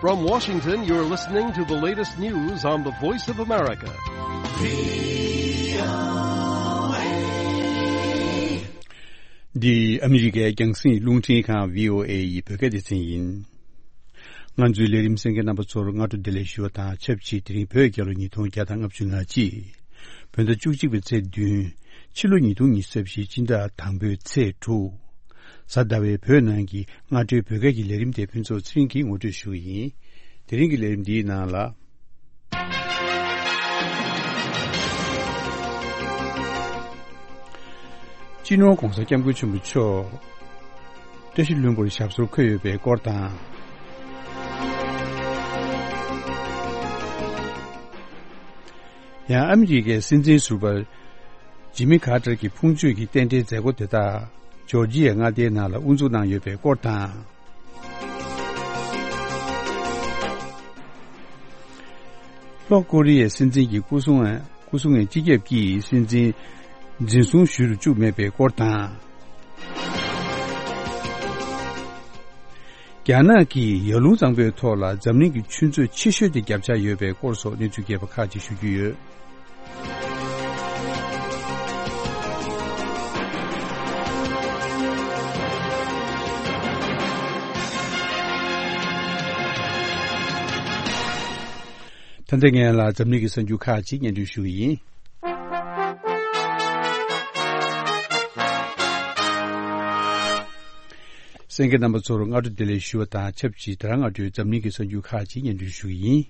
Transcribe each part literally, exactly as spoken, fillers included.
From Washington, you're listening to the latest news on the Voice of America. འདི་ཨ་མི་རི་ཀའི་རྒྱང་སྲིང་རླུང་འཕྲིན་ཁང་བྷི་ཨོ་ཨེ་ཡི་བོད་སྐད་སྡེ་ཚན་ཡིན། ང་ཚོའི་ལས་རིམ་གསན་མཁན་རྣམ་པ་ཚོར་སྔ་དྲོ་བདེ་ལེགས་ཞུ་བ་དང་ཆབས་ཅིག་དེ་རིང་བོད་རྒྱལ་ལོ་ཉིས་སྟོང་བརྒྱ་དང་ལྔ་བཅུ་ང་གཅིག་བོད་ཟླ་བཅུ་གཅིག་པའི་ཚེས་བདུན། ཕྱི་ལོ་ཉིས་སྟོང་ཉི་ཤུ་རྩ་བཞི་སྤྱི་ཟླ་དང་པོའི་ཚེས་དྲུག་གཟའ་ཟླ་བའི་བོད་ནང་གི་སྔ་དྲོའི་བོད་སྐད་ཀྱི་ལས་རིམ་དེ་ཕུན་ཚོགས་ཚེ་རིང་གིས་ངོ་སྤྲོད་ཞུ་གི་ཡིན། དེ་རིང་གི་ལས་རིམ་འདིའི་ནང་ལ། སྤྱི་ནོར་༧གོང་ས་༧སྐྱབས་མགོན་ཆེན་པོ་མཆོག་བཀྲ་ཤིས་ལྷུན་པོར་ཞབས་སོར་འཁོད་ཡོད་པའི་སྐོར་དང་། ཡང་ཨ་མི་རི་ཀའི་སྲིད་འཛིན་ཟུར་པ་ཇི་མི་ཁ་ཏར་གྱི་ཕུང་མཆོད་ཀྱི་རྟེན་འབྲེལ་མཛད་སྒོ་དེ་དག་ཇོར་ཇི་ཡའི་མངའ་སྡེའི་ནང་ལ་དབུ་འཛུགས་གནང་ཡོད་པའི་སྐོར་དང་། ལྷོ་ཀོ་རི་ཡའི་སྲིད་འཛིན་གྱི་སྐུ་སྲུང་སྐུ་སྲུང་བའི་སྤྱི་ཁྱབ་ཀྱིས་སྲིད་འཛིན་འཛིན་བཟུང་ཞུ་རུ་བཅུག་མེད་པའི་སྐོར་དང་། རྒྱ་ནག་གིས་ཡར་ཀླུང་གཙང་པོའི་ཐོག་ལ་འཛམ་གླིང་གི་ཆུ་མཛོད་ཆེ་ཤོས་དེ་བརྒྱབ་འཆར་ཡོད་པའི་སྐོར་སོགས་གནས་ཚུལ་རྒྱས་པ་ཁག་ཅིག་ཞུ་རྒྱུ་ཡོད། ད་ལྟ་ངས་ལ་འཛམ་གླིང་གི་གསར་འགྱུར་ཁག་ཅིག་སྙན་སྒྲོན་ཞུ་གི་ཡིན། གསན་མཁན་རྣམ་པ་ཚོར་སྔ་དྲོ་བདེ་ལེགས་ཞུ་བ་དང་ཆབས་ཅིག་དེ་རིང་སྔ་དྲོའི་འཛམ་གླིང་གི་གསར་འགྱུར་ཁག་ཅིག་སྙན་སྒྲོན་ཞུ་གི་ཡིན།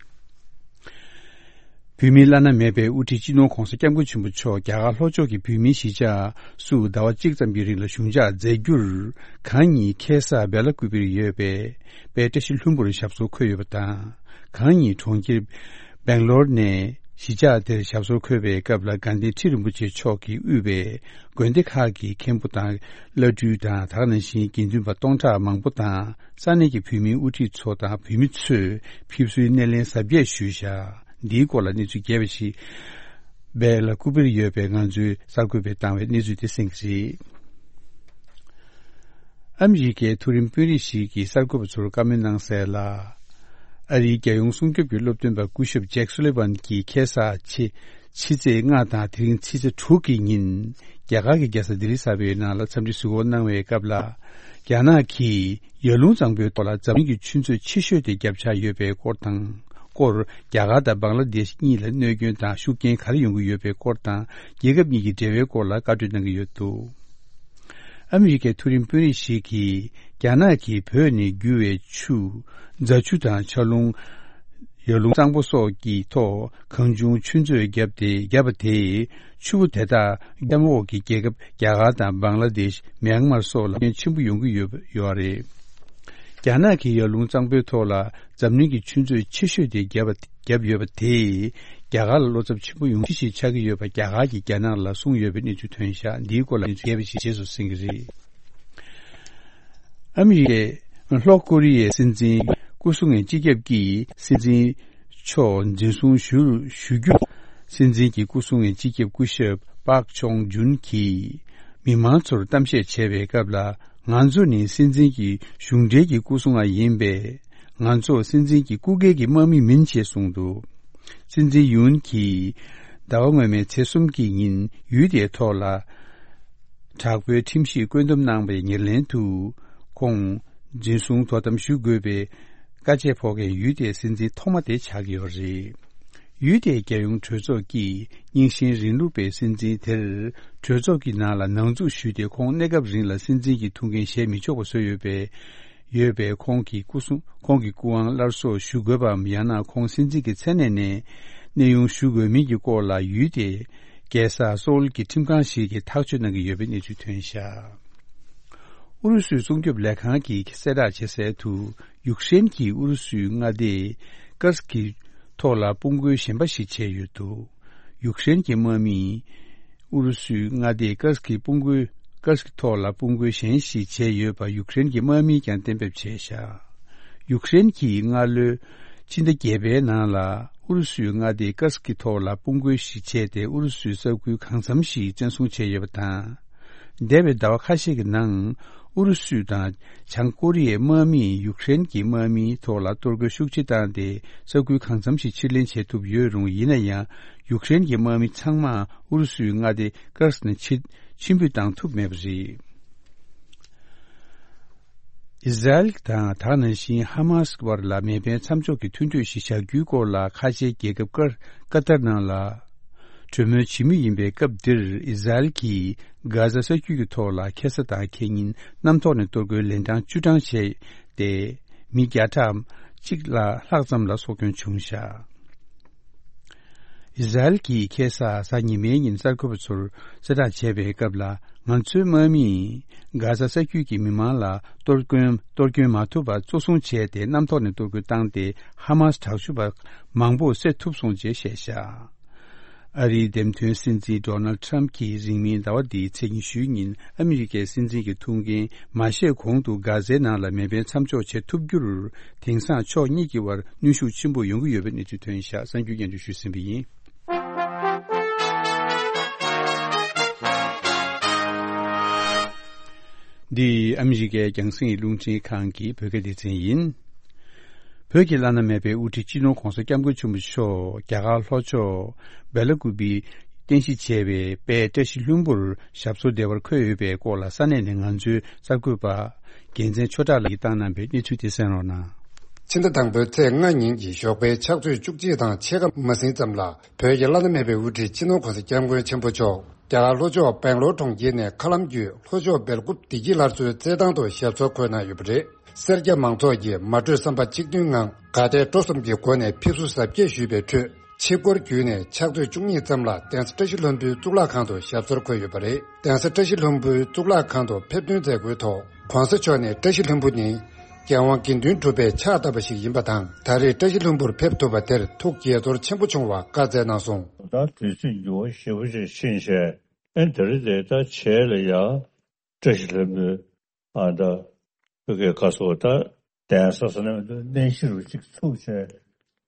བོད་མིའི་བླ་ན་མེད་པའི་དབུ་ཁྲིད་སྤྱི་ནོར་༧གོང་ས་༧སྐྱབས་མགོན་ཆེན་པོ་མཆོག་རྒྱ་གར་ལྷོ་ཕྱོགས་ཀྱི་བོད་མིའི་གཞིས་ཆགས་སུ་ཟླ་བ་གཅིག་ཙམ་གྱི་རིང་ལ་བཞུགས་འཇགས་མཛད་རྒྱུར་གང་ཉིད་ཁེ་ས་སྦེ་ལ་ཀུ་པིར་ཡོད་པའི་དཔལ་བཀྲ་ཤིས་ལྷུན་པོར་ཞབས་སོར་འཁོད་ཡོད་པ་དང་། གང་ཉིད་གྲོང་ཁྱེར་སྦེང་ལོར་ནས་གཞིས་ཆགས་དེར་ཞབས་སོར་འཁོད་པའི་སྐབས་ལ་དགའ་ལྡན་ཁྲི་རིན་པོ་ཆེ་མཆོག་གིས་དབུས་པའི་དགོན་སྡེ་ཁག་གི་མཁན་པོ་དང་བླ་སྤྲུལ་དང་། དེ་ག་ནང་བཞིན་དགེ་འདུན་པ་སྟོང་ཕྲག་མང་པོ་དང་ས་གནས་ཀྱི་བོད་མིའི་དབུ་ཁྲིད་ཚོ་དང་བོད་མི་ཚོས་ཕེབས་བསུའི་སྣེ་ལེན་གཟབ་རྒྱས་ཞུས་བཞག་འདིའི་སྐོར་ལ་གནས་ཚུལ་རྒྱས་པ་ཞིག་སྦེ་ལ་ཀུ་པིར་ཡོད་པའི་ང་ཚོའི་གསར་འགོད་པས་བཏང་བའི་གནས་ཚུལ་དེ་གསན་གྱི་རེད། ཨ་མི་རི་ཀའི་མཐོ་རིམ་དཔོན་རིགས་ཤིག་གིས་གསར་འགོད་པ་ཚོར་བཀའ་མོལ་གནང་གསལ་ལ། ཨ་རིའི་རྒྱལ་ཡོངས་སྲུང་སྐྱོབ་ཀྱི་སློབ་སྟོན་པ་སྐུ་ཞབས་ཇེག་སུ་ལི་ཝན་གྱིས་ཁ་སང་ཕྱི་ཕྱི་ཚེས་ལྔ་དང་དེ་རིང་ཕྱི་ཚེས་དྲུག་གི་ཉིན་རྒྱ་གར་གྱི་རྒྱལ་ས་ལྡི་ལི་གསར་པའི་ནང་ལ་འཚམས་འདྲི་གཟིགས་སྐོར་གནང་བའི་སྐབས་ལ། རྒྱ་ནག་གིས་ཡར་ཀླུང་གཙང་པོའི་ཐོག་ལ་འཛམ་གླིང་གི་ཆུ་མཛོད་ཆེ་ཤོས་དེ་བརྒྱབ་འཆར་ཡོད་པའི་སྐོར་དང་། སྐོར་རྒྱ་གར་དང་བང་ལ་དེཤ་གཉིས་ལ་གནོད་སྐྱོན་དང་ཤུགས་རྐྱེན་ག་རེ་ཡོང་གི་ཡོད་པའི་སྐོར་དང་། རྒྱལ་ཁབ་གཉིས་ཀྱི་འབྲེལ་བའི་སྐོར་ལ་བཀའ་གྲོས་གནང་གི་ཡོད་འདུག་ཨ་མི་རི་ཀའི་མཐོ་རིམ་དཔོན་རིགས་ཤིག་གིས་རྒྱ་ནག་གིས་བོད་ནས་རྒྱུ་བའི་ཆུ། རྫ་ཆུ་དང་ཆར་རླུང་། ཡར་ཀླུང་གཙང་པོ་སོགས་ཀྱི་ཐོག་གང་བྱུང་ཆུ་མཛོད་བརྒྱབ་སྟེ་བརྒྱབ་པ་དེས་ཆུ་བོ་དེ་དག་གཤམ་འོག་གི་རྒྱལ་ཁབ་རྒྱ་གར་དང་བང་ལ་དེཤ། མྱན་མར་སོགས་ལ་སྐྱོན་ཆེན་པོ་ཡོང་གི་ཡོད་ཡོད་རེད། རྒྱ་ནག་གིས་ཡར་ཀླུང་གཙང་པོའི་ཐོག་ལ་འཛམ་གླིང་གི་ཆུ་མཛོད་ཆེ་ཤོས་དེ་བརྒྱབ་པ་བརྒྱབ་ཡོད་པ་དེས་རྒྱ་གར་ལ་བློ་འཚབ་ཆེན་པོ་ཡོང་གཞི་ཞིག་ཆགས་ཀྱི་ཡོད་པ་རྒྱ་གར་གྱིས་རྒྱ་ནག་ལ་གསུངས་ཡོད་པའི་གནས་ཚུལ་ཐོན་ཤག་འདིའི་སྐོར་ལ་གནས་ཚུལ་རྒྱས་པ་ཞིག་རྗེས་སུ་གསན་གྱི་རེད། ཨ་མི་རི་ཀས་ལྷོ་ཀོ་རི་ཡའི་སྲིད་འཛིན་སྐུ་སྲུང་བའི་སྤྱི་ཁྱབ་ཀྱིས་སྲིད་འཛིན་མཆོག་འཛིན་བཟུང་ཞུ་ཞུ་རྒྱུ། སྲིད་འཛིན་གྱི་སྐུ་སྲུང་བའི་སྤྱི་ཁྱབ་སྐུ་ཞབས་པཱག་ཆོང་ཇུན་གྱིས་མི་མང་ཚོར་གཏམ་བཤད་བྱས་པའི་སྐབས་ལ། ང་ཚོ་ནི་སྲིད་འཛིན་གྱི་གཞུང་འབྲེལ་གྱི་སྐུ་སྲུང་བ་ཡིན་པས། ང་ཚོ་སྲིད་འཛིན་གྱི་སྐུ་སྒེར་གྱི་དམག་མི་མིན་ཞེས་གསུངས་འདུག་སྲིད་འཛིན་ཡུན་གྱིས་ཟླ་བ་སྔོན་མའི་ཚེས་གསུམ་གྱི་ཉིན་ཡུལ་དེའི་ཐོག་ལ། དྲག་པོའི་ཁྲིམས་ཞིབ་བཀོད་འདོམས་གནང་བའི་ཉེར་ལེན་དུ། ཁོང་འཛིན་བཟུང་དོ་དམ་ཞུ་དགོས་པའི་བཀའ་ཆད་ཕོག་མཁན་ཡུལ་དེའི་སྲིད་འཛིན་ཐོག་མ་དེ་ཆགས་ཀྱི་ཡོད་རེད། ཡུལ་དེའི་རྒྱལ་ཡོངས་གྲོས་ཚོགས་ཀྱིས་རྙིང་ཞེན་རིང་ལུགས་པའི་སྲིད་འཛིན་དེར་གྲོས་ཚོགས་ཀྱི་ནང་ལ་ནང་འཛུལ་ཞུས་ཏེ། ཁོང་གནས་སྐབས་རིང་ལ་སྲིད་འཛིན་གྱི་ཐུགས་འགན་བཞེས་མི་ཆོག་པ་བཟོས་ཡོད་པས། ཡོད་པས། ཁོང་གི་སྐུ་སྲུང་། ཁོང་གི་སྐུ་དབང་སླར་གསོ་ཞུ་དགོས་པའམ། ཡང་ན་ཁོང་སྲིད་འཛིན་གྱི་མཚན་གནས་ནས་གནས་དབྱུང་ཞུ་དགོས་མིན་གྱི་སྐོར་ལ་ཡུལ་དེའི་རྒྱལ་ས་སོའུལ་གྱི་ཁྲིམས་ཁང་ཞིག་གིས་ཐག་གཅོད་གནང་གི་ཡོད་པའི་གནས་ཚུལ་ཐོན་ཤག་ཨུ་རུ་སུའི་སྲུང་སྐྱོབ་ལས་ཁང་གིས་གསལ་བསྒྲགས་བྱས་གསལ་དུ། ཡུཀ་རེན་གྱིས་ཨུ་རུ་སུའི་མངའ་སྡེ་ཀར་སི་ཀི་ཐོག་ལ་དཔུང་རྒོལ་གཞན་པ་ཞིག་བྱས་ཡོད་འདུག་ཡུཀ་རེན་གྱི་དམག་མིས་ཨུ་རུ་སུའི་མངའ་སྡེ་ཀར་སི་ཀི་དཔུང་རྒོལ། ཀར་སི་ཀི་ཐོག་ལ་དཔུང་རྒོལ་གཞན་ཞིག་བྱས་ཡོད་པ་ཡུཀ་རེན་གྱི་དམག་མིས་ཀྱང་གཏན་འབེབས་བྱས་བཞག་ཡུཀ་རེན་གྱིས་སྔ་ལོའི་ཕྱི་ཟླ་བརྒྱད་པའི་ནང་ལ་ཨུ་རུ་སུའི་མངའ་སྡེ་ཀར་སི་ཀི་ཐོག་ལ་དཔུང་རྒོལ་ཞིག་བྱས་ཏེ། ཨུ་རུ་སུའི་ས་ཁུལ་གང་འཚམ་ཞིག་བཙན་བཟུང་བྱས་ཡོད་པ་དང་། འདས་པའི་ཟླ་བ་ཁ་ཤས་ཀྱི་ནང་ ཨུ་རུ་སུ་དང་བྱང་ཀོ་རི་ཡའི་དམག་མིས་ཡུཀ་རེན་གྱི་དམག་མིའི་ཐོག་ལ་གཏོར་རྒོལ་ཤུགས་ཆེ་བཏང་སྟེ། ས་ཁུལ་གང་འཚམ་ཞིག་ཕྱིར་ལེན་བྱེད་ཐུབ་ཡོད་རུང་། ཡིན་ན་ཡང་ཡུཀ་རེན་གྱི་དམག་མི་ཚང་མ་ཨུ་རུ་སུའི་མངའ་སྡེ་ཀར་སི་ནས་ཕྱིར་ཕྱིར་འབུད་བཏང་ཐུབ་མེད་པ་རེད། ཨི་ཟ་རེལ་དང་ད་ག་ནང་བཞིན་ཧ་མ་སི་བར་ལ་མེ་འཕེན་མཚམས་འཇོག་གི་མཐུན་གྲོས་ཤིག་བཞག་རྒྱུའི་སྐོར་ལ་ཁ་ཆེའི་རྒྱལ་ཁབ་ཀར་ཀ་ཏར་ནང་ལ་གྲོས་མོལ་བྱེད་མུས་ཡིན་པའི་སྐབས་འདིར། ཨི་ཟ་རེལ་གྱིས་གྷ་ཟ་ས་རྒྱུད་ཀྱི་ཐོག་ལ་ཁ་སང་དང་ཁ་ཉིན་གནམ་ཐོག་ནས་གཏོར་རྒོལ་ལན་གྲངས་བཅུ་གྲངས་བྱས་ཏེ། མི་བརྒྱ་ཕྲག་གཅིག་ལ་ལྷག་ཙམ་ལ་སྲོག་སྐྱོན་བྱུང་བཞག་ཨི་ཟ་རེལ་གྱིས་ཁ་སང་གཟའ་ཉི་མའི་ཉིན་གསར་འགོད་པ་ཚོར་གསལ་བསྒྲགས་བྱས་པའི་སྐབས་ལ། ང་ཚོའི་དམག་མིས་གྷ་ཟ་ས་རྒྱུད་ཀྱི་མི་མང་ལ་གཏོར་སྐྱོན་གཏོར་སྐྱོན་མ་ཐུབ་པར་གཙོ་བཟུང་བྱས་ཏེ། གནམ་ཐོག་ནས་གཏོར་རྒོལ་བཏང་སྟེ། ཧ་མ་སི་དྲག་སྤྱོད་པ་མང་པོ་བསད་ཐུབ་སོང་ཅེས་བཤད་བཞག་ཨ་རིའི་འདེམས་ཐོན་སྲིད་འཛིན་ཌོ་ནལ་ཊམ་གྱིས་རིང་མིན་ཟླ་བ་འདིའི་ཚེས་ཉི་ཤུའི་ཉིན་ཨ་མི་རི་ཀའི་སྲིད་འཛིན་གྱི་ཐུགས་འགན་མ་བཞེས་གོང་དུ། གྷ་ཟའི་ནང་ལ་མེ་འཕེན་མཚམས་འཇོག་བྱེད་ཐུབ་རྒྱུར། དེང་སང་ཕྱོགས་གཉིས་ཀྱི་དབར་གནོན་ཤུགས་ཆེན་པོ་ཡོང་གི་ཡོད་པའི་གནས་ཚུལ་ཐོན་བཞག་གསར་འགྱུར་སྙན་སྒྲོན་ཞུས་ཟིན་པ་ཡིན། འདི་ཨ་མི་རི་ཀའི་རྒྱང་སྲིང་རླུང་འཕྲིན་ཁང་གི་བོད་སྐད་སྡེ་ཚན་ཡིན། བོད་ཀྱི་བླ་ན་མེད་པའི་དབུ་ཁྲིད་སྤྱི་ནོར་༧གོང་ས་༧སྐྱབས་མགོན་ཆེན་པོ་མཆོག་རྒྱ་གར་ལྷོ་ཕྱོགས་སྦེ་ལ་ཀུ་པི་རྟེན་གཞི་བྱས་པའི་དཔལ་བཀྲ་ཤིས་ལྷུན་པོར་ཞབས་སོར་བདེ་བར་འཁོད་ཡོད་པའི་སྐོར་ལ། ས་གནས་ནས་ང་ཚོའི་གསར་འགོད་པ་རྒྱལ་མཚན་ཆོས་གྲགས་ལགས་ཀྱིས་བཏང་གནང་བའི་གནས་ཚུལ་དེ་གསན་རོགས་གནང་། ཕྱི་ཟླ་དང་པོའི་ཚེས་ལྔ་ཉིན་གྱི་ཞོགས་པའི་ཕྱག་ཚོད་བཅུ་གཅིག་དང་ཕྱེད་ཀ་མ་ཟིན་ཙམ་ལ། བོད་ཀྱི་བླ་ན་མེད་པའི་དབུ་ཁྲིད་སྤྱི་ནོར་༧གོང་ས་༧སྐྱབས་མགོན་ཆེན་པོ་མཆོག་རྒྱ་གར་ལྷོ་ཕྱོགས་སྦེང་ལོར་གྲོང་ཁྱེར་ནས་མཁའ་ལམ་བརྒྱུད་ལྷོ་ཕྱོགས་སྦེལ་ཀོབ་བདེ་སྐྱིད་སླར་གསོའི་རྩེད་ཐང་དུ་ཞབས་སོར་འཁོད་གནང་ཡོད་པ་རེད། སེར་སྐྱ་མང་ཚོགས་ཀྱིས་མ་གྲོས་བསམ་པ་གཅིག་མཐུན་ངང་དགའ་དད་སྤྲོ་གསུམ་གྱི་སྒོ་ནས་ཕེབས་བསུ་གཟབ་རྒྱས་ཞུས་པའི་ཁྲོད། ཆིབས་སྐོར་བརྒྱུད་ནས་ཕྱག་ཚོད་བཅུ་གཉིས་ཙམ་ལ་གདན་ས་བཀྲ་ཤིས་ལྷུན་པོའི་གཙུག་ལག་ཁང་དུ་ཞབས་སོར་འཁོད་ཡོད་པ་རེད། གདན་ས་བཀྲ་ཤིས་ལྷུན་པོའི་གཙུག་ལག་ཁང་དུ་ཕེབས་ཐོན་མཛད་སྒོའི་ཐོག ༸གོང་ས་མཆོག་ནས་བཀྲ་ཤིས་ལྷུན་པོ་ནི་རྒྱལ་དབང་དགེ་འདུན་གྲུབ་པས་ཕྱག་བཏབ་པ་ཞིག་ཡིན་པ་དང་། ད་རེས་བཀྲ་ཤིས་ལྷུན་པོར་ཕེབས་ཐུབ་པ་དེར་ཐུགས་དགྱེས་ཚོར་ཆེན་པོ་བྱུང་བ་བཀའ་སྩལ་གནང་སོང་། ད་དུས་ཚོད་འགྱུར་བ་ཞེ་པོ་ཅིག་ཕྱིན་བྱས། ཨེ་འདི་རེད་དེ། ད་བྱས་ལ་ཡ་བཀྲ་ཤིས་ལྷུན་པོའི་ཨ་ད་བོད་སྐད་བཀའ་ཟུར་ད་གདན་ས་ཟེར་ན་མི་འདུག་གནས་གཞི་རུ་གཅིག་ཚུགས་བྱས་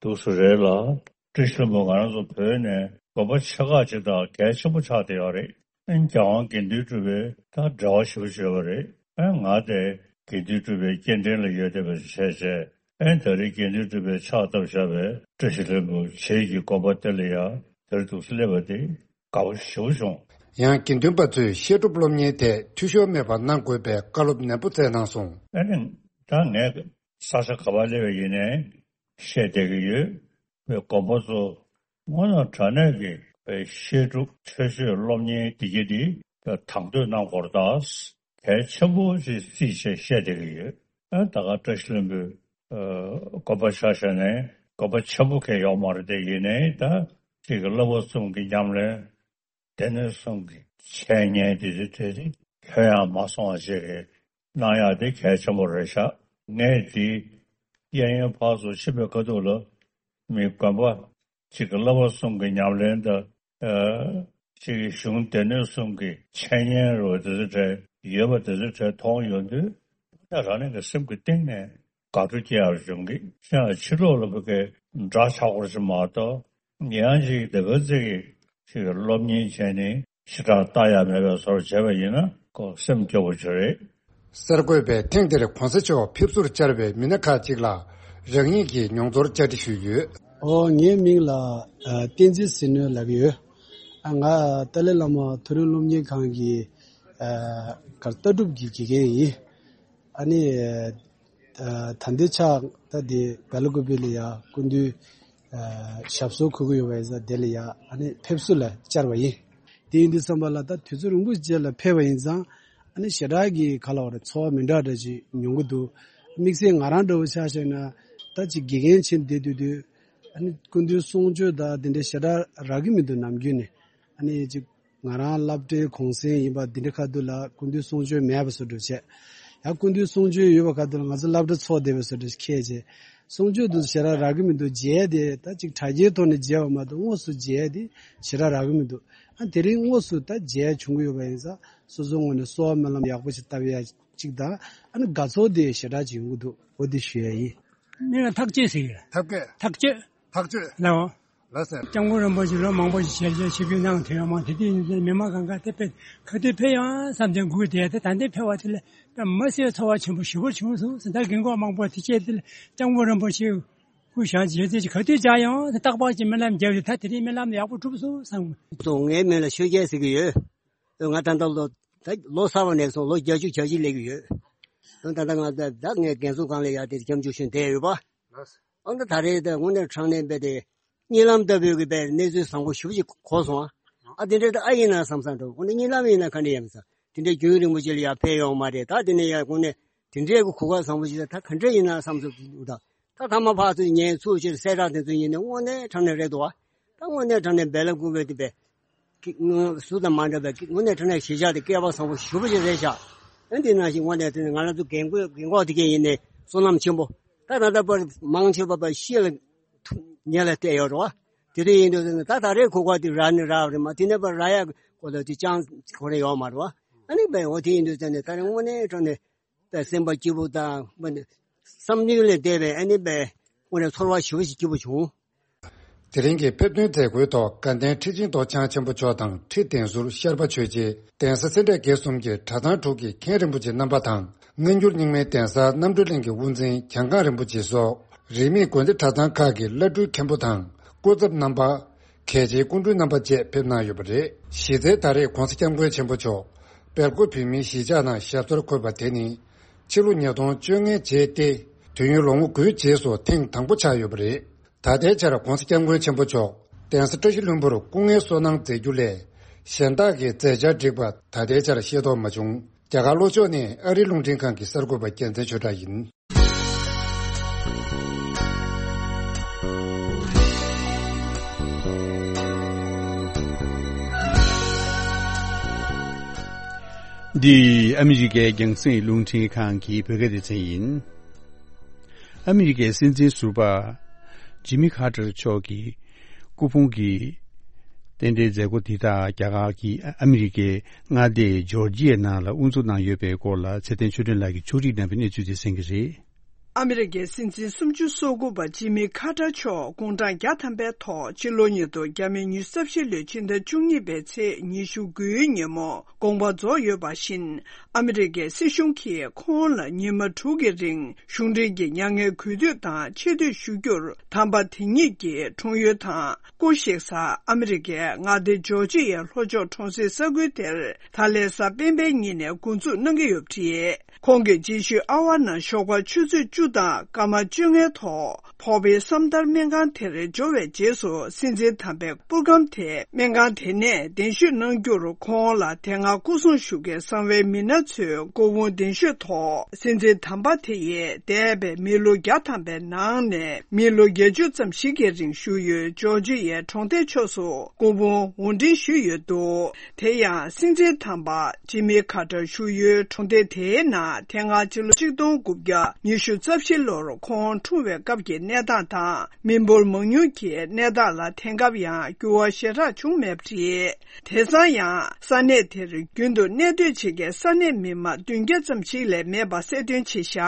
འདུག་སེ་རེད་ལ། བཀྲ་ཤིས་ལྷུན་པོ་ང་རང་ཚོ་བོད་ནས་དགོན་པ་ཆེ་ཁག་ཅིག་དང་གལ་ཆེན་པོ་ཆགས་བསྡད་ཡོད་རེད། ཨ་ནི་རྒྱལ་དབང་དགེ་འདུན་གྲུབ་པའི་ད་འབྲེལ་བ་ཞེ་པོ་ཅིག་ཡོད་པ་རེད། ཨ་ནི་ང་དེ་དགེ་འདུན་གྲུབ་པའི་སྐྱེ་ཕྲེང་ལ་ཡོད་བསྡད་པ་ཞིག་བྱས་བྱས། ཨ་ནི་ད་རེས་དགེ་འདུན་གྲུབ་པས་ཕྱག་བཏབ་བཞག་པའི་བཀྲ་ཤིས་ལྷུན་པོ་བྱེས་ཀྱི་དགོན་པ་དེ་ལ་ཡ་དེར་འདུག་སེ་སླེབས་པ་དེ་དགའ་པོ་ཞེ་པོ་བྱུང་། ཡང་དགེ་འདུན་པ་ཚོས་བཤད་སྒྲུབ་སློབ་གཉེར་ཐད་འཐུས་ཤོར་མེད་པ་གནང་དགོས་པའི་བཀའ་སློབ་ནན་པོ་སྩལ་གནང་སོང་། ཨ་ནི་ད་ངས་ས་ཆ་ག་པར་སླེབས་པ་ཡིན་ནའི་བཤད་བསྡད་ཀྱི་ཡོད། བའི་དགོན་པ་ཚོ་དངོས་གནས་དྲང་གནས་ཀྱི་བཤད་སྒྲུབ་ཆོས་སྤྱོད་སློབ་གཉེར་འདི་གྱད་འདི་དང་དོད་གནང་དགོས་རེད་ད། གལ་ཆེན་པོ་ཞིག་བརྩིས་བྱས་བཤད་བསྡད་ཀྱི་ཡོད། ཨ་ད་ག་བཀྲ་ཤིས་ལྷུན་པོའི་ཨ་དགོན་པ་ཆ་བཞག་ནས་དགོན་པ་ཆེན་པོ་གང་ཡོད་མ་རེད་དེ། ཡིན་ནའི་ད་ཅིག་གི་བསླབ་པ་གསུམ་གྱི་ཉམས་ལེན། སྡེ་སྣོད་གསུམ་གྱི་འཆད་ཉན་དེ་ཚོ་དེ་ལྷོད་ཡངས་མ་སོང་བ་ཅིག་གནང་ཡག་དེ་གལ་ཆེན་པོ་རེད་ཤག་ངས་དེ་གཡས་གཡོན་ཕར་ཚུར་ཕྱིན་པའི་ཁ་ཐུག་ལ་མི་དགོན་པ་གཅིག་གི་བསླབ་པ་གསུམ་གྱི་ཉམས་ལེན་དང་། ཨ་གཅིག་གི་གཞུང་སྡེ་སྣོད་གསུམ་གྱི་འཆད་ཉན་རུ་དེ་ཚོ་གྲས་ཡོད་པ་དེ་ཚོ་གྲས་མཐོང་ཡོང་དུས། ད་རང་ཉིད་ཀྱི་སེམས་ཀྱི་གཏིང་ནས་དགའ་སྤྲོ་སྐྱེ་ཡག་བྱུང་གི། ཡང་ཕྱི་ལོགས་ལ་བོད་སྐད་འདྲ་ཆགས་སྐོར་ཞིག་མ་གཏོགས། ཡང་ཅིག་དེ་ག་ཚོད་ཀྱི་ཅིག་སློབ་གཉེར་བྱས་ནས་ཞེ་དྲག་ལྟ་ཡག་མེད་པའི་བཟོ་འདྲ་བྱས་པ་ཡིན་ན་ཁོ་སེམས་སྐྱོ་པོ་ཅིག་རེད། གསར་འགོད་པས་ཐེངས་འདིར་གོང་ས་མཆོག་ཕེབས་བསུར་བཅར་བའི་མི་སྣ་ཁག་ཅིག་ལ་རང་ཉིད་ཀྱིས་མྱོང་ཚོར་བཅར་འདྲི་ཞུས་ཡོད། ཨོ་ངའི་མིང་ལ་ཨ་བསྟན་འཛིན་ཟིལ་གནོན་ལབ་ཀྱི་ཡོད། ཨ་ང་ཏཱ་ལའི་བླ་མ་མཐོ་རིམ་སློབ་གཉེར་ཁང་གི་ཨ་གར་ལྟ་གྲུབ་ཀྱི་དགེ་རྒན་ཡིན། ཨ་ནི། ཨ་ད་ལྟའི་ཆར་ད་དེ་སྦེ་ལ་ཀུ་པེ་ལ་ཡ་སྐུ་མདུན་ཨ་ཞབས་སོར་འཁོད་ཀྱི་ཡོད་པ་ཡིན་ཙང་། དེ་ལ་ཡ་ཨ་ནི་ཕེབས་བསུ་ལ་བཅར་བ་ཡིན། དེ་ཡིན་དུས་ཙམ་པ་ལ་ད་དུས་ཚོད་རིང་པོ་རྗེས་ལ་ཕེབས་པ་ཡིན་ཙང་། ཨ་ནི་ཞེ་དྲག་གི་ག་ལབ་དགོས་རེད། ཚོར་བ་མི་འདྲ་འདྲ་ཅིག་མྱོང་གི་འདུག་དམིགས་བསལ་ང་རང་འདྲ་བོ་ཆ་བཞག་ན་ད་ཅིག་དགེ་རྒན་ཕྱིན་བསྡད་དུས་དུས་ཨ་ནི་སྐུ་མདུན་གསུང་ཆོས་ད་དེ་འདྲ་ཞེ་དྲག་རག་གི་མི་འདུག་ནམ་རྒྱུན་ནས། ཨ་ནི་ཅིག་ང་རང་སློབ་གྲྭའི་གུང་སེང་ཡིན་པ་འདི་འདྲ་ཁ་ཐུག་ལ་སྐུ་མདུན་གསུང་ཆོས་མེད་པ་བཟོ་འདྲ་བྱས། ཡང་སྐུ་མདུན་གསུང་ཆོས་ཡོད་པ་ཁ་ཐུག་ལ་ང་ཚོ་སློབ་གྲྭ་ཚོགས་བསྡད་པ་བཟོ་འདྲ་ཁྱེད་ཅེས། གསུང་ཆོས་དུ་ཞེ་དྲག་རག་གི་མི་འདུག་མཇལ་དེ་ད་ཅིག་དྲ་རྒྱའི་ཐོག་ནས་མཇལ་བ་མ་གཏོགས་དངོས་སུ་མཇལ་དེ་ཞེ་དྲག་རག་གི་མི་འདུག་ཨ་དེ་རིང་དངོས་སུ་ད་མཇལ་བྱུང་གི་ཡོད་པ་ཡིན་ཙང་། སོ་སོའི་ངོས་ནས་གསོལ་བ་སྨོན་ལམ་ཡག་པོ་ཞིག་བཏབ་ཡ་ཅིག་དང་། ཨ་ནི་དགའ་ཚོར་དེ་ཞེ་དྲག་ཅིག་ཡོང་གི་འདུག་འོ་དེ་ཞུ་ཡ་ཡིན། མིང་ལ་ཐག་བཅད་ཟེར་གི་རེད། ཐབས་མཁས། ཐག་བཅད། ཐག་བཅད། ལའོ། ལགས་སོ། སྐྱབས་མགོན་རིན་པོ་ཆེ་ལོ་མང་པོ་ཞིག་ཞལ་མཇལ་ཞིབ་འཇུག་གནང་དེ་ཡང་མང་དེ་དུས་ཡིན་ཙང་མི་མང་གང་ག་དེ་དཔེ་ག་དུས་ཕེབས་ཡང་བསམ་དེ་སྒུག་བསྡད་དེ་ད་ལྟའི་ཕེབས་པ་དེ་ལ་དཔེ་མ་སྲིད་ཚོར་བ་ཆེན་པོ་ཞེ་པོ་བྱུང་སོང་ཟེར། ད་རྒན་གོག་མང་པོ་དེ་སྐྱེས་དེ་ལ་སྐྱབས་མགོན་རིན་པོ་ཆེ་སྐུ་བཞེངས་ཀྱི་ཡོད་ཚད་ཀྱི་ག་དུས་བཅར་ཡང་རྟག་པར་གྱི་སྨོན་ལམ་རྒྱབ་ཡོད། ད་དེ་རིང་སྨོན་ལམ་ཡག་པོ་གྲུབ་སོང་བསམ། ང་ཚོ་ངའི་མིང་ལ་ཆོས་རྒྱལ་ཟེར་གྱི་ཡོད། ང་ད་ལྟ་ལོ་ད་ལོ་གསར་བ་ནས་བཟུང་ལོ་བརྒྱད་ཅུ་གྱ་གཅིག་སླེབས་ཀྱི་ཡོད། ད་ལྟ་ང་ད་ད་ངས་རྒན་གསོ་ཁང་ལ་ཡར་དེ་སྐྱབས་འཇུག་ཞུས་བསྡད་ཡོད་པ། ཨ་ནི་ད་རེས་ད་དངོས་གནས་དྲང་གནས་དཔེ་དེ་གཉིད་ལམ་ལྟ་བུའི་གི་དཔེ་གནས་ཚུལ་བཟང་པོ་ཞེ་པོ་ཅིག་གོ་སོང་ཨ། ཨ་དེ་འདྲའི་ད་ཨ་ཡིན་ན་བསམ་བསམ་འགྲོ། དངོས་གནས་གཉིད་ལམ་ཡིན་ན་ག་འདྲ་ཡིན་ས། དེ་འདྲའི་རྒྱུན་རིང་པོ་ཅིག་ལ་ཡར་ཕེབས་ཡོང་མ་རེད། ད་དེ་ནས་ཡར་དངོས་གནས་དེ་འདྲའི་གི་གོ་སྐབས་བཟང་པོ་ཅིག་ད་ད་ག་འདྲ་ཡིན་ན་བསམ་སོང་འདུག་ད། ད་ཐ་མ་ཕར་ཚུར་ཉན་ཚུར་ཕྱིར་གསལ་བསྒྲགས་དེ་ཚོ་ཡིན་ནས་དངོས་གནས་དྲང་གནས་རེད་འདུག་བ། ད་དངོས་གནས་དྲང་གནས་འབེལ་ལ་སྐུ་བས་དེ་བས་ཀྱི་ངོ་སུ་དང་མ་འདྲ་བའི་དངོས་གནས་དྲང་གནས་གཞིས་ཆགས་དེ་སྐལ་པ་བཟང་པོ་ཞེ་པོ་ཅིག་རེད་ཤག་ཨ་འདི་ནང་བཞིན་དངོས་གནས་དེ་ང་རང་ཚོ་རྒན་གོག་རྒན་གོག་དེ་གས་ཡིན་ནས་བསོད་ནམས་ཆེན་པོ། ད་ད་ལྟ་བར་མང་ཆེ་བ་པ་ཤི་ལ་ཐུག་ཉེ་ལ་བལྟས་ཡོད་རེད་བ། དེ་འདྲ་ཡིན་དུས་ད་ད་རེས་གོ་སྐབས་དེ་རག་ནི་རག་རེད་མ། དེ་ནས་པ་རག་ཡ་གོ་ད་དེ་ཅང་གོ་རེ་ཡོད་མ་རེད་བ། ཨ་ནི་བས་འོ་དེ་ཡིན་དུས་ད་ནས་ད་རེས་དངོས་གནས་དྲང་གནས། པའི་སེམས་པ་སྐྱིད་པོ་དང་མ་ཎི་བསམ་ཡུལ་ལས་འདས་པའི་ཨ་ནི་པའི་དངོས་གནས་ཚོར་བ་ཞེ་པོ་ཞིག་སྐྱིད་པོ་བྱུང་། དེ་རིང་གི་ཕེབས་ཐོན་མཛད་སྒོའི་ཐོག་དགའ་ལྡན་ཁྲི་ཆེན་རྡོ་རྗེ་འཆང་ཆེན་པོ་མཆོག་དང་ཁྲི་གདན་ཟུར་ཤར་པ་ཆོས་རྗེ། གདན་ས་སེ་འབྲས་དགེ་གསུམ་གྱི་གྲྭ་ཚང་དྲུག་གི་མཁན་རིན་པོ་ཆེ་རྣམ་པ་དང་། སྔ་འགྱུར་རྙིང་མའི་གདན་ས་རྣམ་གྲོལ་གླིང་གི་དབུ་འཛིན་གྱང་ཁང་རིན་པོ་ཆེ་སོགས་རིས་མེད་དགོན་སྡེ་གྲྭ་ཚང་ཁག་གི་བླ་སྤྲུལ་མཁན་པོ་དང་སྐུ་ཚབ་རྣམ་པ། གལ་ཆེའི་སྐུ་མགྲོན་རྣམ་པ་བཅས་ཕེབས་གནང་ཡོད་པ་རེད། གཞི་རྩའི་ད་རེས་༸གོང་ས་༸སྐྱབས་མགོན་ཆེན་པོ་མཆོག་སྦེལ་ཀོབ་བོད་མིའི་གཞིས་ཆགས་ནང་ཞབས་སོར་འཁོད་པ་དེ་ནི་ཕྱི་ལོ་ཉིས་སྟོང་བཅོ་ལྔ་རྗེས་ཏེ་དུས་ཡུན་ལོ་ངོ་དགུའི་རྗེས་སུ་ཐེངས་དང་པོ་ཆགས་ཡོད་པ་རེད། ད་ལྟའི་ཆར་༸གོང་ས་༸སྐྱབས་མགོན་ཆེན་པོ་མཆོག་གདན་ས་བཀྲ་ཤིས་ལྷུན་པོར་སྐུ་ངལ་གསོ་གནང་མཛད་རྒྱུ་ལས་གཞན་དག་གི་མཛད་འཆར་བསྒྲིགས་པ་ད་ལྟའི་ཆར་ཤེས་རྟོགས་མ་བྱུང་། རྒྱ་གར་ལྷོ་ཕྱོགས་ནས་ཨ་རིའི་རླུང་འཕྲིན་ཁང་གི་གསར་འགོད་པ་རྒྱལ་མཚན་ཆོས་གྲགས་ཡིན། འདི་ཨ་མི་རི་ཀའི་རྒྱང་སྲིང་རླུང་འཕྲིན་ཁང་གི་བོད་སྐད་སྡེ་ཚན་ཡིན། ཨ་མི་རི་ཀའི་སྲིད་འཛིན་ཟུར་པ་ཇི་མི་ཁ་ཏར་མཆོག་གི་སྐུ་ཕུང་གི་རྟེན་འབྲེལ་མཛད་སྒོ་འདི་དག་རྒྱ་གར་གྱི་ཨ་མི་རི་ཀའི་མངའ་སྡེ་ཇོར་ཇི་ཡའི་ནང་ལ་དབུ་འཛུགས་གནང་ཡོད་པའི་སྐོར་ལ་ཚེ་བརྟན་ཆོས་སྒྲོན་ལགས་ཀྱིས་ཕྱོགས་སྒྲིག་གནང་བའི་གནས་ཚུལ་དེ་གསན་གྱི་རེད། ཨ་མི་རི་ཀའི་སྲིད་འཛིན་སུམ་ཅུ་སོ་དགུ་པ་ཇི་མི་ཁ་ཏར་མཆོག་དགུང་གྲངས་བརྒྱ་ཐམ་པའི་ཐོག་ཕྱི་ལོ་ཉིས་སྟོང་ཉི་ཤུ་རྩ་བཞི་ལོའི་ཕྱི་ཟླ་བཅུ་གཉིས་པའི་ཚེས་ཉི་ཤུ་དགུའི་ཉིན་མོ་དགོངས་པ་རྫོགས་ཡོད་པ་བཞིན། ཨ་མི་རི་ཀའི་སྲིད་གཞུང་གིས་ཁོང་ལ་ཉི་མ་དྲུག་གི་རིང་གཞུང་འབྲེལ་གྱི་མྱ་ངན་གུས་འདུད་དང་ཆེ་བསྟོད་ཞུ་རྒྱུར་དམ་པ་དེ་ཉིད་ཀྱི་འཁྲུངས་ཡུལ་དང་སྐུ་གཤེགས་ས་ཨ་མི་རི་ཀའི་མངའ་སྡེ་ཇོར་ཇི་ཡའི་ལྷོ་ཕྱོགས་གྲོང་གསེབ་ས་ཁུལ་དེར་ད་ལན་གཟའ་སྤེན་པའི་ཉིན་ནས་འགོ་འཛུགས་གནང་གི་ཡོད་པ་རེད། ཁོང་གི་རྗེས་ཤུལ་ཨ་ཝ་ནང་ཞོགས་པ་ཆུ་ཚོད་བཅུ་དང་སྐར་མ་བཅོ་ལྔའི་ཐོག་ཕོ་བྷེ་སམ་དར་སྨན་ཁང་དེར་འབྱོར་བའི་རྗེས་སུ་སྲིད་འཛིན་དམ་པའི་པུར་སྒམ་དེ་སྨན་ཁང་དེ་ནས་གདན་ཞུ་གནང་རྒྱུར་ཁོང་ལ་དེ་སྔ་སྐུ་སྲུང་ཞུ་མཁན་གསང་བའི་མི་སྣ་ཚོས་སྐུ་ཕུང་གདན་ཞུས་ཐོག་སྲིད་འཛིན་དམ་པ་དེ་ཡིས་འདས་པའི་མི་ལོ་བརྒྱ་ཐམ་པའི་ནང་ནས་མི་ལོ་བརྒྱད་ཅུ་ཙམ་ཞིག་གི་རིང་བཞུགས་ཡུལ་ཇོར་ཇི་ཡའི་གྲོང་སྡེ་ཕྱོགས་སུ་སྐུ་ཕུང་དབོར་འདྲེན་ཞུས་ཡོད་འདུག་དེ་ཡང་སྲིད་འཛིན་དམ་པ་ཇི་མི་ཁ་ཏར་བཞུགས་ཡུལ་གྲོང་སྡེ་དེའི་ནང་དེ་སྔ་ཕྱི་ལོ་ཆིག་སྟོང་དགུ་བརྒྱ་ཉི་ཤུ་རྩ་བཞི་ལོར་ཁོང་འཁྲུངས་པའི་སྐབས་ཀྱི་གནས་སྟངས་དང་མི་འབོར་མང་ཉུང་གི་གནས་སྟངས་ལ་དེང་སྐབས་ཡང་འགྱུར་བ་ཞེ་དྲག་བྱུང་མེད་པ་རེད། དེང་སང་ཡང་ས་གནས་དེར་རྒྱུན་དུ་གནས་སྡོད་བྱེད་མཁན་ས་གནས་མི་མང་བདུན་བརྒྱ་ཙམ་ཞིག་ལས་མེད་པ་གསལ་སྟོན་བྱས་བཞག་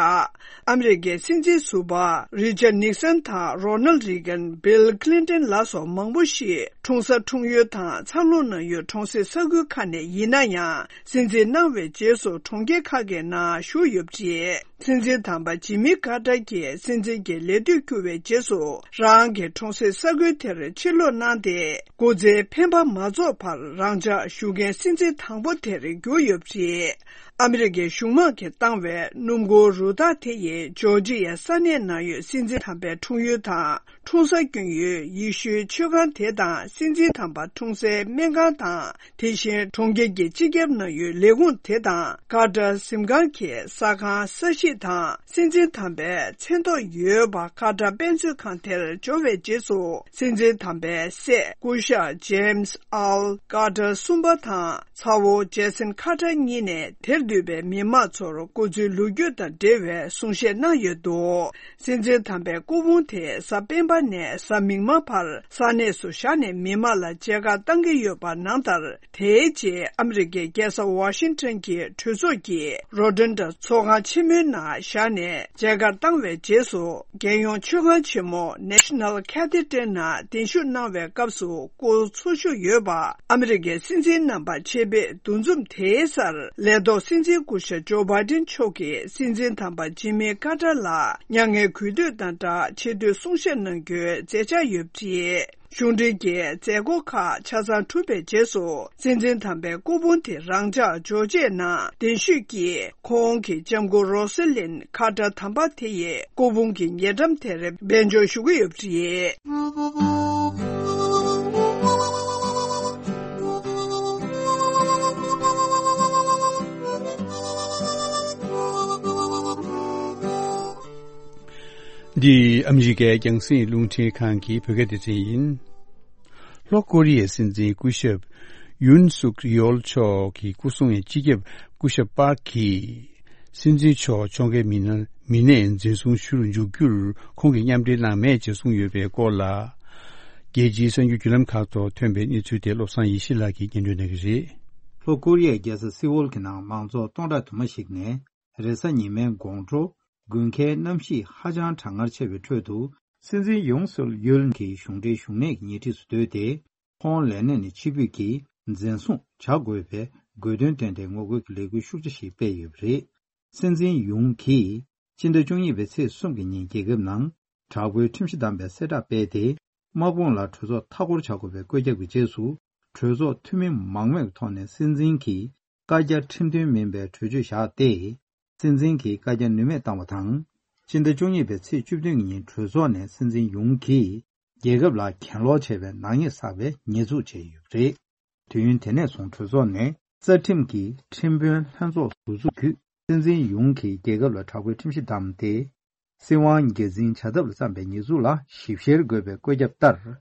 ཨ་མི་རི་ཀའི་སྲིད་འཛིན་ཟུར་པ་རི་ཅར་ནིག་སན་དང་རོ་ནལ་རི་གན། བིལ་ཁི་ལིན་ཏན་ལ་སོགས་མང་པོ་ཞིག་འཁྲུངས་ས་འཁྲུངས་ཡུལ་དང་འཚར་ལོངས་གནང་ཡུལ་གྲོང་གསེབ་ས་ཁུལ་ཁག་ནས་ཡིན་ན་ཡང་། སྲིད་འཛིན་གནང་བའི་རྗེས་སུ་གྲོང་ཁྱེར་ཁག་གི་ནང་བཞུགས་ཡོད་པ་རེད། སྲིད་འཛིན་དམ་པ་ཇི་མི་ཀར་ཏར་གྱིས་སྲིད་འཛིན་གྱི་ལས་དུས་བསྐྱུར་བའི་རྗེས་སུ་རང་གི་གྲོང་གསེབ་ས་ཁུལ་དེར་ཕྱིར་ལོག་གནང་སྟེ། སྐུ་ཚེའི་འཕེན་པ་མ་རྫོགས་བར་རང་འཇགས་བཞུགས་མཁན་སྲིད་འཛིན་དང་པོ་དེར་གྱུར་ཡོད་པ་རེད། ཨ་མི་རི་ཀའི་གཞུང་དམངས་ཀྱིས་བཏང་བའི་སྣུམ་འཁོར་རུ་སྟག་དེ་ཡིས་ཇོར་ཇི་ཡའི་ས་གནས་ནང་ཡོད་སྲིད་འཛིན་དམ་པའི་འཁྲུངས་ཡུལ་དང་། འཁྲུངས་ས་སྐྱོན་ཡུལ་ཡེ་ཤུའི་ཆོས་ཁང་དེ་དང་སྲིད་འཛིན་དམ་པ་འཁྲུངས་སའི་སྨན་ཁང་དང་། དེ་བཞིན་གྲོང་ཁྱེར་གྱི་སྤྱི་ཁྱབ་ནང་ཡོད་ལས་ཁུངས་དེ་དང་། ཀར་ཏར་གཟིམ་ཁང་གི་ས་ཁང་ས་གཞི་དང་། སྲིད་འཛིན་དམ་པའི་མཚན་ཐོག་ཡོད་པ་ཀར་ཏར་དཔེ་མཛོད་ཁང་དེར་འབྱོར་བའི་རྗེས་སུ། སྲིད་འཛིན་དམ་པའི་སྲས་སྐུ་ཞབས་ཇེམ་སི་ཨལ་ཀར་ཏར་གསུམ་པ་དང་། ཚ་བོ་ཇེ་སན་ཁ་ཏར་གཉིས་ནས་དེར་ འདུས་པའི་མི་མང་ཚོར་སྐུ་ཚེའི་ལོ་རྒྱུས་དང་འབྲེལ་བའི་གསུང་བཤད་གནང་ཡོད་འདུག། སྲིད་འཛིན་དམ་པའི་སྐུ་ཕུང་དེ་གཟའ་སྤེན་པ་ནས་གཟའ་མིག་དམར་བར་ས་གནས་སུ་བཞག་ནས་མི་མང་ལ་མཇལ་ཁ་བཏང་གི་ཡོད་པ་ནང་ལྟར། དེའི་རྗེས་ཨ་མི་རི་ཀའི་རྒྱལ་ས་ཝ་ཤིང་ཊོན་གྱི་གྲོས་ཚོགས་ཀྱི་རོ་ཏོན་ཌ་ཚོགས་ཁང་ཆེན་མོའི་ནང་བཞག་ནས་མཇལ་ཁ་བཏང་བའི་རྗེས་སུ། རྒྱལ་ཡོངས་མཆོད་ཁང་ཆེན་མོ་National Cathedral ནང་གདན་ཞུ་གནང་བའི་སྐབས་སུ་སྐུ་འཚོ་བཞུགས་ཡོད་པ། ཨ་མི་རི་ཀའི་སྲིད་འཛིན་རྣམ་པ་ཆེད་ཕེབས་འདུ་འཛོམས་དེའི་སར་ལས་ཐོག་སྲིད་འཛིན་སྐུ་ཞབས་ཇོ་བྷའི་ཏིན་མཆོག་གིས་སྲིད་འཛིན་དམ་པ་ཇི་མི་ཀར་ཏར་ལ་མྱ་ངན་གུས་འདུད་དང་སྦྲགས་ཆེ་བསྟོད་གསུང་བཤད་གནང་རྒྱུའི་མཛད་འཆར་ཡོད་པ་རེད། གཞུང་འབྲེལ་གྱི་མཛད་སྒོ་ཁག་ཆ་ཚང་གྲུབ་པའི་རྗེས་སུ། སྲིད་འཛིན་དམ་པའི་སྐུ་ཕུང་དེ་རང་འཇགས་འཇོག་བྱེད་ནང་གདན་ཞུས་ཀྱིས། ཁོང་གི་ལྕམ་སྐུ་རོ་སི་ལིན་ཁ་ཏར་དམ་པ་དེ་ཡི་སྐུ་ཕུང་གི་ཉེ་འགྲམ་དེར་དཔལ་འབྱོར་ཞུ་གི་ཡོད་པ་རེད། འདི་ཨ་མི་རི་ཀའི་རྒྱང་སྲིང་རླུང་འཕྲིན་ཁང་གི་བོད་སྐད་སྡེ་ཚན་ཡིན། ལྷོ་ཀོ་རི་ཡའི་སྲིད་འཛིན་སྐུ་ཞབས་ཡུན་སུག་ཡོལ་མཆོག་གི་སྐུ་སྲུང་བའི་སྤྱི་ཁྱབ་སྐུ་ཞབས་པཱག་གིས། སྲིད་འཛིན་མཆོག་ཕྱོགས་འགལ་མི་སྣ་མི་སྣས་འཛིན་བཟུང་ཞུ་རུ་འཇུག་རྒྱུར་ཁོང་གིས་མཉམ་འབྲེལ་གནང་མེད་ཅེས་གསུངས་ཡོད་པའི་སྐོར་ལ། རྒྱལ་སྤྱིའི་གསར་འགྱུར་བརྒྱུད་ལམ་ཁག་ཐོག་ཐོན་པའི་གནས་ཚུལ་དེ་བློ་བཟང་ཡེ་ཤེས་ལགས་ཀྱིས་སྙན་སྒྲོན་གནང་གི་རེད། ལྷོ་ཀོ་རི་ཡའི་རྒྱལ་ས་སི་ཝོལ་གྱི་ནང་མང་ཚོགས་སྟོང་ཕྲག་དུ་མ་ཞིག་ནས། རེས་གཟའ་ཉི་མའི་དགོང་དྲོ། དགུན་ཁའི་གནམ་གཤིས་ཧ་ཅང་གྲང་ངར་ཆེ་བའི་ཁྲོད་དུ། སྲིད་འཛིན་ཡུང་སུག་ཡོལ་གྱི་གཞུང་འབྲེལ་བཞུགས་གནས་ཀྱི་ཉེ་འཁྲིས་སུ་སྡོད་དེ། ཁོང་ལས་གནས་ནས་ཕྱིར་འབུད་ཀྱིས་འཛིན་བཟུང་བྱ་དགོས་པའི་དགོས་འདུན་བཏོན་ཏེ་ངོ་རྒོལ་གྱི་ལས་འགུལ་ཤུགས་ཆེ་ཞིག་སྤེལ་ཡོད་པ་རེད། སྲིད་འཛིན་ཡུང་གིས་སྤྱི་ཟླ་བཅུ་གཉིས་པའི་ཚེས་གསུམ་གྱི་ཉིན་རྒྱལ་ཁབ་ནང་དྲག་པོའི་ཁྲིམས་གཞི་བསྡམས་པའི་གསལ་བསྒྲགས་སྤེལ་ཏེ། དམག་དཔུང་ལ་གྲོས་ཚོགས་མཐའ་སྐོར་བྱ་དགོས་པའི་བཀོད་ཁྱབ་ཀྱི་རྗེས་སུ། གྲོས་ཚོགས་འཐུས་མི་མང་མོས་ཀྱི་ཐོག་ནས་སྲིད་འཛིན་གྱི་བཀའ་རྒྱ་ཁྲིམས་མཐུན་མིན་པའི་གྲོས་ཆོད་བཞག་སྟེ། སྲིད་འཛིན་གྱི་བཀའ་རྒྱ་ནུས་མེད་བཏང་བ་དང་། སྤྱི་ཟླ་བཅུ་གཉིས་པའི་ཚེས་བཅུ་བདུན་ཉིན་གྲོས་ཚོགས་ནས་སྲིད་འཛིན་ཡུང་གིས་རྒྱལ་ཁབ་ལ་གྱེན་ལོག་བྱས་པའི་ནག་ཉེས་བསགས་པའི་ཉེས་འཛུགས་བྱས་ཡོད་པ་རེད། དུས་ཡུན་དེ་ནས་བཟུང་གྲོས་ཚོགས་ནས་རྩ་ཁྲིམས་ཀྱི་ཁྲིམས་དཔོན་ལྷན་ཚོགས་ཟུར་འཛུགས་བརྒྱུད། སྲིད་འཛིན་ཡུང་གིས་རྒྱལ་ཁབ་ལ་དྲག་པོའི་ཁྲིམས་གཞི་བསྡམས་ཏེ། སྲིད་དབང་སྒེར་འཛིན་བྱ་ཐབས་ལ་བརྩམས་པའི་ཉེས་འཛུགས་ལ་ཞིབ་བཤེར་དགོས་པའི་བཀོད་ཁྱབ་ལྟར།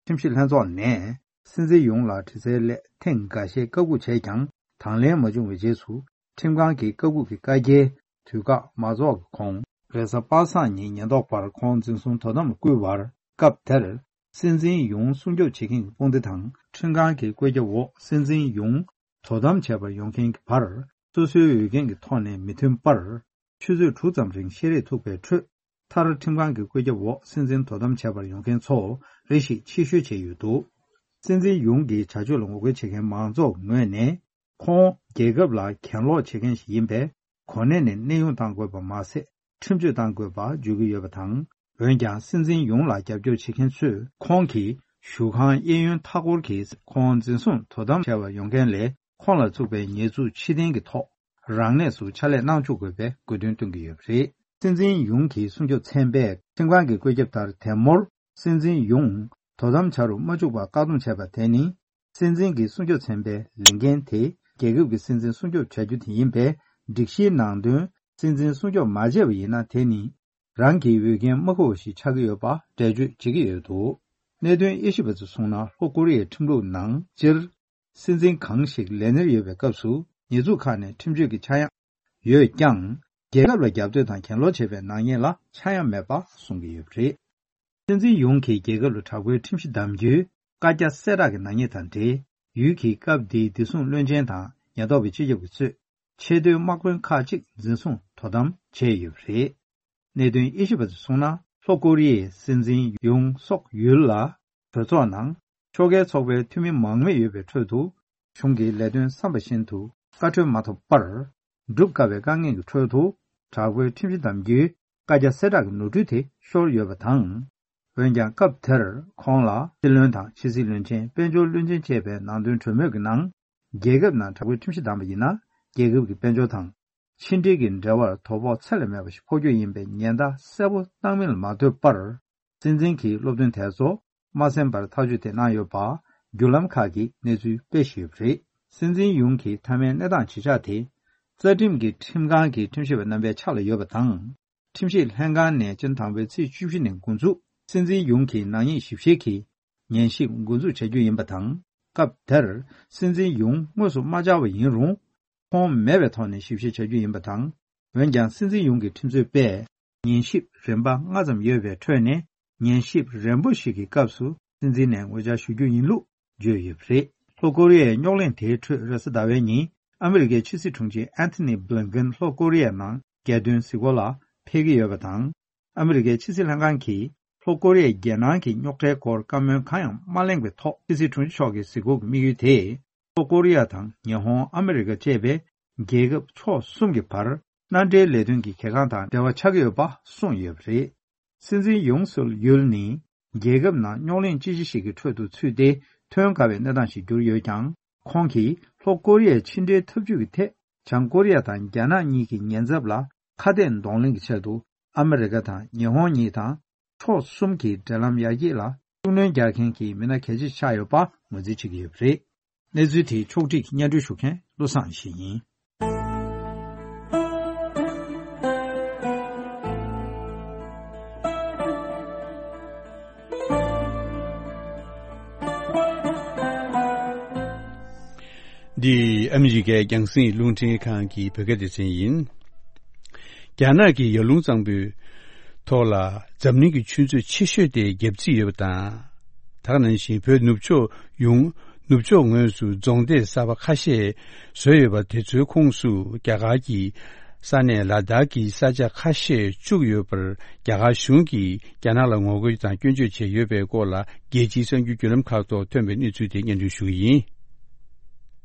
ཁྲིམས་ཞིབ་ལྷན་ཚོགས་ནས་སྲིད་འཛིན་ཡུང་ལ་དྲི་རྩད་སླད་ཐེངས་འགའ་ཤས་བཀའ་འགུག་བྱས་ཀྱང་དང་ལེན་མ་བྱུང་བའི་རྗེས་སུ། ཁྲིམས་ཁང་གི་བཀའ་འགུག་གི་བཀའ་རྒྱའི་དུས་བཀག་མ་རྫོགས་ཀྱི་གོང་། རེས་གཟའ་པ་སངས་ཉིན་ཉེན་རྟོག་པར་ཁོང་འཛིན་བཟུང་དོ་དམ་ལ་བསྐུལ་བར། སྐབས་དེར། སྲིད་འཛིན་ཡུང་སྲུང་སྐྱོབ་བྱེད་མཁན་གྱི་དཔུང་སྡེ་དང་ཁྲིམས་ཁང་གི་བཀོད་ཁྱབ་འོག་སྲིད་འཛིན་ཡུང་དོ་དམ་བྱེད་པར་ཡོང་མཁན་གྱི་བར། སོ་སོའི་འོས་འགན་གྱི་ཐོག་ནས་མི་མཐུན་པར། ཆུ་ཚོད་དྲུག་ཙམ་རིང་བཤལ་རས་ཐུག་པའི་ཁྲོད། མཐར་ཁྲིམས་ཁང་གི་བཀོད་ཁྱབ་འོག་སྲིད་འཛིན་དོ་དམ་བྱེད་པར་ཡོང་མཁན་ཚོ་རེ་ཞིག་ཕྱིར་བཤོལ་བྱས་ཡོད་འདུག། སྲིད་འཛིན་ཡུང་གི་བྱ་སྤྱོད་ལ་ངོ་རྒོལ་བྱེད་མཁན་མང་ཚོགས་ངོས་ནས། ཁོང་རྒྱལ་ཁབ་ལ་གྱེན་ལོག་བྱེད་མཁན་ཞིག་ཡིན་པས། གོ་གནས་ནས་གནས་དབྱུང་གཏང་དགོས་པ་མ་ཟད། ཁྲིམས་གཅོད་གཏང་དགོས་པ་བརྗོད་ཀྱི་ཡོད་པ་དང་། འོན་ཀྱང་། སྲིད་འཛིན་ཡུང་ལ་རྒྱབ་སྐྱོར་བྱེད་མཁན་ཚོས། ཁོང་གིས་བཞུགས་ཁང་གཡས་གཡོན་མཐའ་འཁོར་གྱི་ཁོང་འཛིན་བཟུང་དོ་དམ་བྱས་པར་ཡོང་མཁན་ལས། ཁོང་ལ་བཙུགས་པའི་ཉེས་འཛུགས་ཕྱིར་འཐེན་གྱི་ཐོག་རང་གནས་སུ་ཕྱག་ལས་གནང་བཅུག་དགོས་པའི་དགོས་འདུན་བཏོན་གྱི་ཡོད་པ་རེད། སྲིད་འཛིན་ཡུང་གི་སྲུང་སྐྱོབ་ཚན་པས་ཁྲིམས་ཁང་གི་བཀོད་ཁྱབ་ལྟར། དེ་མུར་སྲིད་འཛིན་ཡུང་དོ་དམ་བྱ་རུ་མ་བཅུག་པར་བཀག་སྡོམ་བྱས་པ་དེ་ནི། སྲིད་འཛིན་གྱི་སྲུང་སྐྱོབ་ཚན་པའི་ལས་འགན་དེ། རྒྱལ་ཁབ་ཀྱི་སྲིད་འཛིན་སྲུང་སྐྱོབ་བྱ་རྒྱུ་དེ་ཡིན་པས། སྒྲིག་གཞིའི་ནང་དོན། སྲིད་འཛིན་སྲུང་སྐྱོབ་མ་བྱས་པ་ཡིན་ན། དེ་ནི། རང་གི་འོས་འགན་མ་འཁུར་བ་ཞིག་ཆགས་ཀྱི་ཡོད་པ་འགྲེལ་བརྗོད་བྱེད་ཀྱི་ཡོད་འདུག། གནད་དོན་དབྱེ་ཞིབ་པ་ཚོས་གསུངས་ན། ལྷོ་ཀོ་རི་ཡའི་ཁྲིམས་ལུགས་ནང་སྤྱིར། སྲིད་འཛིན་གང་ཞིག་ལས་སྣེར་ཡོད་པའི་སྐབས་སུ། ཉེས་འཛུགས་ཁག་ནས་ཁྲིམས་གཅོད་ཀྱི་ཆག་ཡང་ཡོད་ཀྱང་། རྒྱལ་ཁབ་ལ་རྒྱབ་གཏོད་དང་གྱེན་ལོག་བྱེད་པའི་ནག་ཉེས་ལ་ཆག་ཡང་མེད་པ་གསུང་གི་ཡོད་པ་རེད། སྲིད་འཛིན་ཡུང་གིས་རྒྱལ་ཁབ་ལ་དྲག་པོའི་ཁྲིམས་གཞི་བསྡམ་རྒྱུའི་བཀའ་རྒྱ་གསལ་བསྒྲགས་ཀྱི་ནག་ཉེས་དང་འབྲེལ། ཡུལ་གྱི་སྐབས་དེའི་བདེ་སྲུང་བློན་ཆེན་དང་ཉེན་རྟོག་པའི་སྤྱི་ཁྱབ་ཀྱིས་གཙོས། ཆེས་མཐོའི་དམག་དཔོན་ཁག་ཅིག་འཛིན་བཟུང་དོ་དམ་བྱས་ཡོད་པ་རེད། གནད་དོན་དབྱེ་ཞིབ་པ་ཚོས་གསུངས་ན། ལྷོ་ཀོ་རི་ཡའི་སྲིད་འཛིན་ཡུང་སོག་ཡུལ་ལ། གྲོས་ཚོགས་ནང་ཕྱོགས་འགལ་ཚོགས་པའི་འཐུས་མི་མང་མོས་ཡོད་པའི་ཁྲོད་དུ། གཞུང་གི་ལས་དོན་བསམ་པ་བཞིན་དུ་བཀའ་འཁྲོལ་མ་ཐོབ་པར། སྒྲུབ་དཀའ་བའི་དཀའ་ངལ་གྱི་ཁྲོད་དུ། དྲག་པོའི་ཁྲིམས་གཞི་བསྡམ་རྒྱུའི་བཀའ་རྒྱ་གསལ་བསྒྲགས་ཀྱི་ནོར་འཁྲུལ་དེ་ཤོར་ཡོད་པ་དང་། འོན་ཀྱང་། སྐབས་དེར་ཁོང་ལ་སྲིད་བློན་དང་། ཕྱི་སྲིད་བློན་ཆེན། དཔལ་འབྱོར་བློན་ཆེན་བཅས་པའི་ནང་དོན་གྲོས་མོལ་གྱི་ནང་། རྒྱལ་ཁབ་ནང་དྲག་པོའི་ཁྲིམས་གཞི་བསྡམས་པ་ཡིན་ན། རྒྱལ་ཁབ་ཀྱི་དཔལ་འབྱོར་དང་། ཕྱི་འབྲེལ་གྱི་འབྲེལ་བར་དོ་ཕོག་ཚད་ལས་མེད་པ་ཞིག་ཕོག་རྒྱུ་ཡིན་པའི་ཉེན་བརྡ་གསལ་པོ་བཏང་མིན་ལ་མ་ལྟོས་པར། སྲིད་འཛིན་གྱིས་སློབ་སྟོན་དེ་ཚོ་མ་གསན་པར་ཐག་གཅོད་དེ་གནང་ཡོད་པ། བརྒྱུད་ལམ་ཁག་གིས་གནས་ཚུལ་སྤེལ་བཞིན་ཡོད་པ་རེད། སྲིད་འཛིན་ཡུང་གི་མཐའ་མའི་གནས་སྟངས་ཇི་ཆགས་དེ། རྩ་ཁྲིམས་ཀྱི་ཁྲིམས་ཁང་གི་ཁྲིམས་ཞིབ་པ་རྣམ་པའི་ཕྱག་ལ་ཡོད་པ་དང་། ཁྲིམས་ཞིབ་ལྷན་ཁང་ནས་སྤྱི་ཟླ་དང་པོའི་ཚེས་བཅུ་བཞི་ནས་འགོ་འཛུགས། སྲིད་འཛིན་ཡུང་གི་ནག་ཉེས་ཞིབ་བཤེར་གྱི་ཉན་ཞིབ་འགོ་འཛུགས་བྱ་རྒྱུ་ཡིན་པ་དང་། སྐབས་དེར་སྲིད་འཛིན་ཡུང་དངོས་སུ་མ་བཅར་བ་ཡིན་རུང་། ཁོང་མེད་པའི་ཐོག་ནས་ཞིབ་བཤེར་བྱ་རྒྱུ་ཡིན་པ་དང་། འོན་ཀྱང་སྲིད་འཛིན་ཡུང་གི་ཁྲིམས་རྩོད་པས་ཉན་ཞིབ་རིམ་པ་ལྔ་ཙམ་ཡོད་པའི་ཁྲོད་ནས་ཉན་ཞིབ་རན་པོ་ཞིག་གི་སྐབས་སུ་སྲིད་འཛིན་ནས་ངོ་བཅར་ཞུ་རྒྱུ་ཡིན་ལུགས་བརྗོད་ཡོད་པ་རེད། ལྷོ་ཀོ་རི་ཡའི་རྙོག་གླེང་དེའི་ཁྲོད་རེས་གཟའ་ཟླ་བའི་ཉིན་ཨ་མི་རི་ཀའི་ཕྱི་སྲིད་དྲུང་ཆེ་ཨན་ཐོ་ནི་བྷི་ལིན་ཀེན་ལྷོ་ཀོ་རི་ཡའི་ནང་རྒྱལ་དོན་གཟིགས་སྐོར་ལ་ཕེབས་ཀྱི་ཡོད་པ་དང་། ཨ་མི་རི་ཀའི་ཕྱི་སྲིད་ལྷན་ཁང་གིས་ལྷོ་ཀོ་རི་ཡས་རྒྱལ་ནང་གི་རྙོག་ཁྲའི་སྐོར་བཀའ་མོལ་གང་ཡང་མ་གླེང་བའི་ཐོག་ཕྱི་སྲིད་དྲུང་ཆེ་མཆོག་གི་གཟིགས་སྐོར་གྱི་དམིགས་ཡུལ་དེ། ལྷོ་ཀོ་རི་ཡ་དང་ཉི་ཧོང་ཨ་མི་རི་ཀ་བཅས་པའི་རྒྱལ་ཁབ་ཕྱོགས་གསུམ་གྱི་བར་མནའ་འབྲེལ་ལས་དོན་གྱི་གལ་འགངས་དང་འབྲེལ་བ་ཆགས་ཀྱི་ཡོད་པ་གསུངས་ཡོད་པ་རེད། སྲིད་འཛིན་ཡུང་སུལ་ཡུལ་ནི་རྒྱལ་ཁབ་ནང་རྙོག་གླེང་ཅི་ཆེ་ཞིག་གི་ཁྲོད་དུ་ཚུད་དེ་ཐོན་དཀའ་བའི་གནས་སྟངས་ཤིག་གྱུར་ཡོད་ཀྱང་། ཁོང་གིས་ལྷོ་ཀོ་རི་ཡའི་ཕྱི་འབྲེལ་འཐབ་ཇུས་ཀྱི་ཐད་བྱང་ཀོ་རི་ཡ་དང་རྒྱ་ནག་གཉིས་ཀྱི་ཉེན་ཚབས་ལ་ཁ་གཏད་གདོང་ལེན་གྱི་ཆེད་དུ་ཨ་མི་རི་ཀ་དང་ཉི་ཧོང་གཉིས་དང་ཕྱོགས་གསུམ་གྱི་འབྲེལ་ལམ་ཡར་རྒྱས་ལ་ཤུགས་སྣོན་རྒྱག་མཁན་གྱི་མི་སྣ་གལ་ཆེ་ཆགས་ཡོད་པ་ངོས་འཛིན་བྱེད་ཀྱི་ཡོད་པ་རེད། གནས་ཚུལ་དེའི་ཕྱོགས་སྒྲིག་སྙན་སྒྲོན་ཞུ་མཁན་བློ་བཟང་ཡེ་ཤེས་ཡིན། འདི་ཨ་མི་རི་ཀའི་རྒྱང་སྲིང་རླུང་འཕྲིན་ཁང་གི་བོད་སྐད་སྡེ་ཚན་ཡིན། རྒྱ་ནག་གི་ཡར་ཀླུང་གཙང་པོའི་ཐོག་ལ་འཛམ་གླིང་གི་ཆུ་མཛོད་ཆེ་ཤོས་དེ་བརྒྱབ་རྩིས་ཡོད་པ་དང་། ད་ག་ནང་བཞིན་བོད་ནུབ་ཕྱོགས་ཡོངས། ནུབ་ཕྱོགས་ངོས་སུ་རྫོང་སྡེ་གསར་པ་ཁ་ཤས་བཟོས་ཡོད་པ་དེ་ཚོའི་ཁོངས་སུ་རྒྱ་གར་གྱི་ས་གནས་ལ་དྭགས་ཀྱི་ས་ཆ་ཁ་ཤས་བཅུག་ཡོད་པར་རྒྱ་གར་གཞུང་གིས་རྒྱ་ནག་ལ་ངོ་རྒོལ་དང་སྐྱོན་བརྗོད་བྱས་ཡོད་པའི་སྐོར་ལ་རྒྱལ་སྤྱིའི་གསར་འགྱུར་བརྒྱུད་ལམ་ཁག་ཐོག་ཐོན་པའི་གནས་ཚུལ་དེ་སྙན་སྒྲོན་ཞུ་གི་ཡིན།